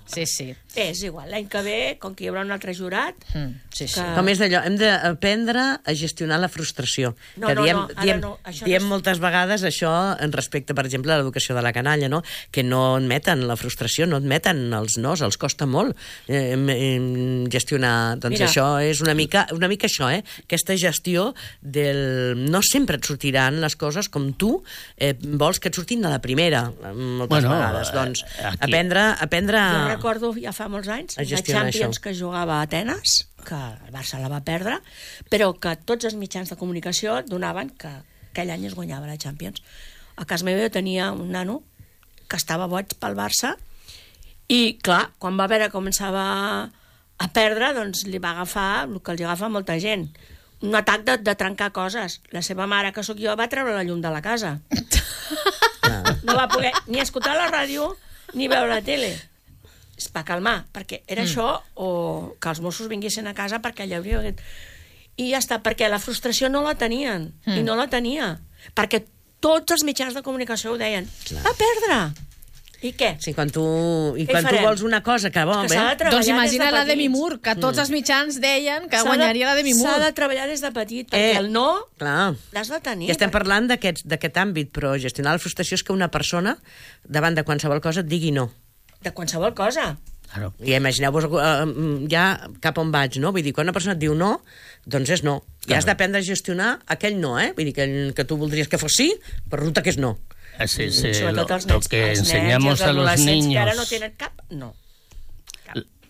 S14: Sí, sí.
S17: És igual, l'any que ve, com que hi haurà un altre jurat...
S14: Mm, sí, sí.
S17: que-
S15: Com és d'allò, hem d'aprendre a gestionar la frustració.
S17: No,
S15: que
S17: no,
S15: diem,
S17: no, ara
S15: diem,
S17: no, això
S15: diem
S17: no és-
S15: moltes vegades això en respecte, per exemple, a l'educació de la canalla, no? Que no admeten la frustració, no admeten els nos, els costa molt eh, eh, gestionar. Doncs
S17: Mira.
S15: això és una mica, una mica això, eh? Aquesta gestió del... No sempre et sortiran les coses com tu eh, vols que et surtin de la primera, moltes
S16: Bueno,
S15: vegades. Doncs
S16: eh, aquí-
S15: aprendre... aprendre...
S17: Jo recordo ja fa molts anys
S15: A
S17: la
S15: gestionar
S17: Champions
S15: això.
S17: que jugava a Atenes, que el Barça la va perdre, però que tots els mitjans de comunicació donaven que aquell any es guanyava la Champions. A casa meva jo tenia un nano que estava boig pel Barça i, clar, quan va veure que començava a perdre, doncs li va agafar el que els agafa a molta gent, un atac de, de trencar coses. La seva mare, que sóc jo, va treure la llum de la casa. No va poder ni escoltar la ràdio ni veure la tele. és per calmar, perquè era
S14: Mm.
S17: això, o que els Mossos vinguessin a casa perquè allà hauria... I ja està, perquè la frustració no la tenien,
S14: Mm.
S17: i no la tenia, perquè tots els mitjans de comunicació ho deien. Va perdre! I què?
S15: Sí, quan tu, i
S17: Què
S15: quan
S17: hi
S15: tu
S17: farem?
S15: vols una cosa que vol,
S17: Que s'ha de
S15: bé...
S17: treballar
S14: Doncs imagina
S17: des de
S14: la Demi
S17: petits.
S14: Moore, que tots
S15: Mm.
S14: els mitjans deien que
S17: S'ha de-
S14: guanyaria la Demi Moore.
S17: S'ha de treballar des de petit, perquè
S15: Eh,
S17: el no
S15: Clar.
S17: l'has de tenir.
S15: I estem parlant d'aquest d'aquest àmbit, però gestionar la frustració és que una persona, davant de qualsevol cosa, et digui no.
S17: De qualsevol cosa.
S16: Claro.
S15: I imagineu-vos eh, ja cap on vaig, no? Vull dir, quan una persona et diu no, doncs és no. I has d'aprendre a gestionar aquell no, eh? Vull dir, que, que tu voldries que fos sí, però resulta que és no.
S16: Sí, sí, lo,
S17: Sobretot els
S16: lo
S17: nens,
S16: que
S17: els nens i
S16: enseñamos
S17: els
S16: a los
S17: adolescents
S16: niños...
S17: que ara no tenen cap... No.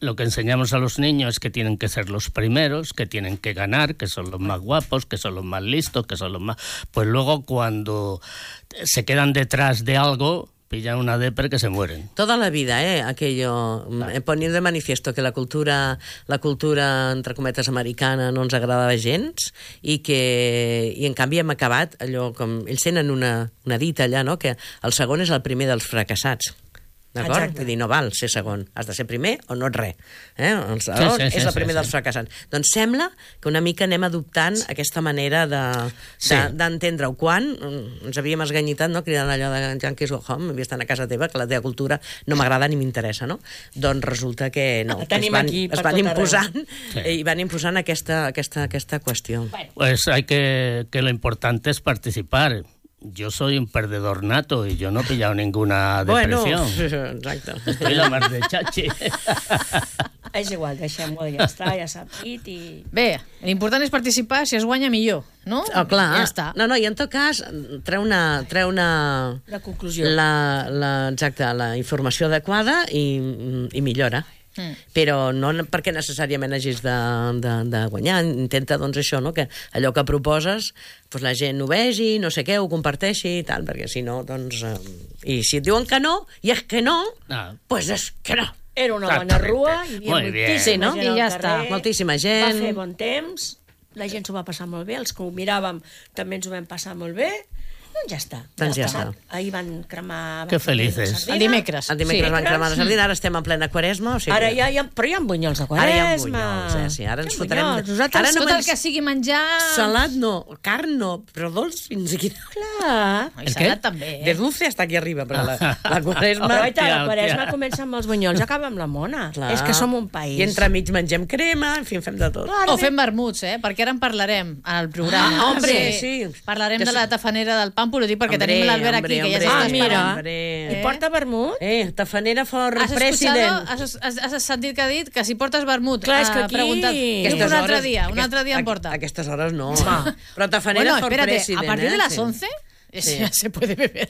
S16: Lo que enseñamos a los niños es que tienen que ser los primeros, que tienen que ganar, que son los más guapos, que son los más listos, que son los más... Pues luego cuando se quedan detrás de algo, pillan una depre que se mueren.
S15: Toda la vida, eh, aquello, eh, poniendo de manifiesto que la cultura, la cultura, entre cometes, americana no ens agradava gens i que, i en canvi hem acabat allò com, ells tenen una, una dita allà, no?, que el segon és el primer dels fracassats. D'acord?
S17: Exacte.
S15: Vull dir, no val ser segon. Has de ser primer o no ets res. Eh? El segon
S16: Sí, sí, sí,
S15: és el
S16: sí,
S15: primer
S16: sí.
S15: dels fracassats. Doncs sembla que una mica anem adoptant aquesta manera de,
S16: Sí.
S15: de, d'entendre-ho. Quan mm, ens havíem esganyitat, no?, cridant allò de Yankees go home, havia estat a casa teva, que la teva cultura no m'agrada ni m'interessa, no? Doncs resulta que no,
S17: La
S15: que es
S17: tenim
S15: van,
S17: aquí per
S15: es van
S17: tot arreu.
S15: imposant
S16: Sí.
S15: i van imposant aquesta, aquesta, aquesta qüestió.
S16: Pues hay que, que lo importante es participar. Yo soy un perdedor nato y yo no he pillado ninguna depresión.
S15: Bueno, exacte.
S16: Estoy la más de chachi.
S17: És igual, deixem-ho, ja està, ja s'ha dit i...
S14: Bé, l'important és participar, si es guanya millor, no?
S15: Oh, clar.
S14: Ja està.
S15: No, no, i en tot cas, treu una... Treu una
S17: La conclusió.
S15: La, la, exacte, la informació adequada i, i millora.
S14: Mm.
S15: Però no perquè necessàriament hagis de, de, de guanyar. Intenta, doncs, això, no?, que allò que proposes, doncs la gent ho vegi, no sé què, ho comparteixi i tal, perquè si no, doncs... Eh, I si et diuen que no, i és que no,
S16: Ah.
S15: doncs és que no.
S17: Era una bona rua, hi havia
S16: Muy bien.
S17: moltíssima
S15: Sí, no?
S17: gent
S15: I
S17: al
S15: ja
S17: carrer,
S15: està. Moltíssima
S17: Va
S15: gent.
S17: fer bon temps, la gent s'ho va passar molt bé, els que ho miràvem també ens ho vam passar molt bé, doncs ja està.
S15: Doncs ja
S17: està.
S15: està.
S17: Ahir van cremar...
S16: Que felices.
S17: sardina.
S14: El dimecres.
S15: El dimecres
S14: Sí.
S15: van cremar la sardina, ara estem en plena quaresma. O sigui,
S17: Ara ja, ja, però hi ha bunyols de
S15: Ara hi ha
S17: quaresma.
S15: bunyols, eh? Sí, ara ens
S17: Hi ha
S15: fotrem...
S17: bunyols. Nosaltres
S15: Ara no
S14: Tot el
S15: menys-
S14: que sigui menjar...
S15: Salat no, carn no, però dolç fins aquí.
S17: Clar.
S14: I salat també,
S15: De
S14: eh?
S15: dulce hasta aquí arriba, però la, la quaresma...
S17: Però guaita, la
S16: Hòstia,
S17: quaresma
S16: hòstia.
S17: comença amb els bunyols, acaba amb la mona.
S15: Clar.
S17: És que som un país.
S15: I entremig mengem crema, en fi, en fem de tot.
S14: O fem vermuts, eh? Perquè ara en parlarem al programa.
S15: Ah, hombre, sí.
S14: Parlarem
S15: Ja
S14: de
S15: sé.
S14: la tafanera del Pàmpol, ho dic perquè
S15: Hombre,
S14: tenim l'Albert
S15: hombre,
S14: aquí, que ja
S15: hombre,
S14: s'està
S17: Ah,
S14: esperant.
S17: mira.
S15: Hombre.
S17: I porta vermut?
S15: Eh, tafanera for
S14: Has
S15: president.
S14: escuchado, has, has, has sentit que ha dit que si portes vermut,
S17: Clar, és que
S14: ha
S17: aquí-
S14: preguntat.
S17: Aquestes
S14: Un altre
S15: hores-
S14: dia, un
S15: aquest-
S14: altre dia em
S15: aqu-
S14: porta.
S15: Aquestes hores no.
S17: Va.
S15: Però tafanera
S14: Bueno,
S15: for
S14: espérate,
S15: president.
S14: a partir de
S15: eh?
S14: las
S15: Sí.
S14: once
S15: Sí.
S14: ya se puede beber.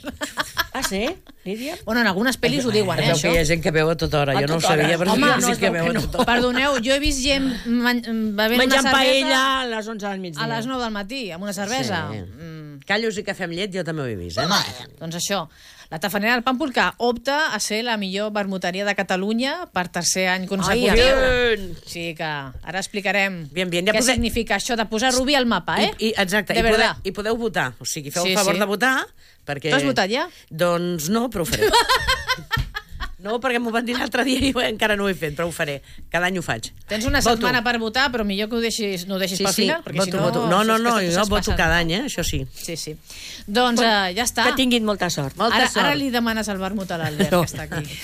S17: Ah, sí? Lídia?
S14: Bueno, en algunes pel·lis ho diuen, eh,
S15: Veu
S14: això.
S15: que hi ha gent que veu a tota hora.
S17: A
S15: Jo no ho
S17: tota hora.
S15: sabia, però
S14: Home,
S15: sí,
S14: no,
S15: sí
S14: es
S15: que
S14: veu
S15: veu
S14: que
S15: a
S14: no.
S15: tota hora.
S14: Perdoneu, jo he vist gent man- bevent
S17: Menjant
S14: una cervesa
S17: paella a les onze del migdia.
S14: a les nou del matí, amb una cervesa.
S15: Sí.
S14: Mm,
S15: Callos i cafè amb llet jo també ho he vist, eh?
S14: doncs això, la tafanera del Pàmpol, que opta a ser la millor vermuteria de Catalunya per tercer any consecutiu.
S15: bien.
S14: Sí, que ara explicarem
S15: Bien, bien. Ja
S14: què
S15: poder-
S14: significa això de posar Rubí al mapa, eh?
S15: I, i, exacte,
S14: De
S15: i, podeu,
S14: verdad.
S15: i podeu votar. O sigui, feu
S14: Sí,
S15: el favor
S14: sí.
S15: de votar, perquè...
S14: Tu has votat ja?
S15: Doncs no, però ho faré. No, perquè m'ho van dir l'altre dia i encara no ho he fet, però ho faré. Cada any ho faig.
S14: Tens una
S15: Voto.
S14: setmana per votar, però millor que ho deixis, no ho deixis
S15: Sí,
S14: pel
S15: sí,
S14: final, perquè
S15: voto,
S14: si no...
S15: voto. No, no,
S14: saps
S15: no,
S14: que
S15: jo
S14: estàs
S15: voto
S14: passant.
S15: cada any, eh? Això sí.
S14: Sí, sí. Doncs eh, ja està.
S17: Que tinguin molta sort.
S15: Molta
S14: Ara,
S15: sort.
S14: ara li demanes el vermut a l'Albert,
S17: No.
S14: que està aquí.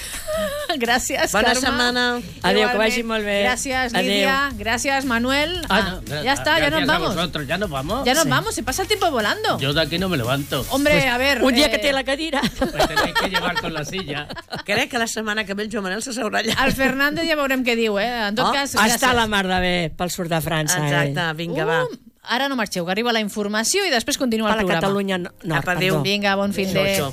S14: Gràcies,
S15: Bona
S14: Carme.
S15: setmana.
S17: Adéu, que
S14: Igualment.
S17: vagi molt bé.
S14: Gràcies,
S17: Adéu.
S14: Lídia. Gràcies, Manuel.
S16: Ah,
S14: Ah, ya está, ya nos
S16: gracias a
S14: vamos.
S16: vosotros, ya nos vamos.
S14: Ya nos
S16: Sí.
S14: vamos, se pasa el tiempo volando.
S16: Yo de aquí no me levanto.
S14: Hombre, a ver...
S17: Un dia
S14: eh,
S17: que té la cadira.
S16: Me tenéis que llevar con la silla.
S15: Crec que la setmana que ve el Joan Manel s'asseurà allà.
S14: El Fernández ja veurem què diu, eh? En tot
S15: Oh,
S14: cas, gràcies.
S17: Està la mar de bé pel sud de França.
S15: Exacte, vinga, va.
S14: Uh, ara no marxeu, que arriba la informació i després continua
S17: Per
S14: el
S17: la
S14: programa.
S17: Catalunya Nord,
S15: Apa, adéu.
S17: perdó.
S14: Vinga, bon fin de...
S15: Això, això.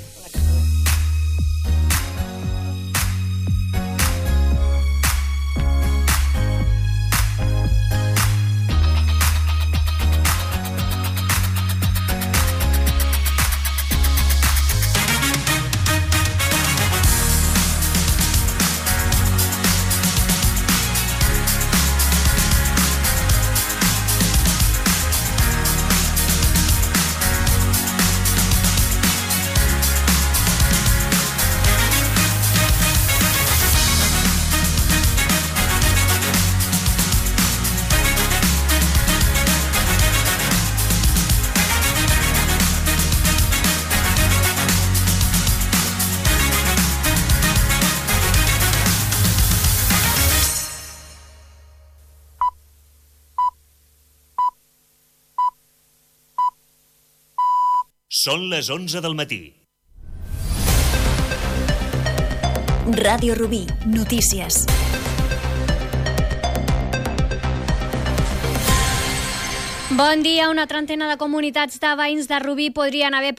S18: Són les onze del matí.
S2: Ràdio Rubí, notícies.
S3: Bon dia. Una trentena de comunitats de veïns de Rubí podrien haver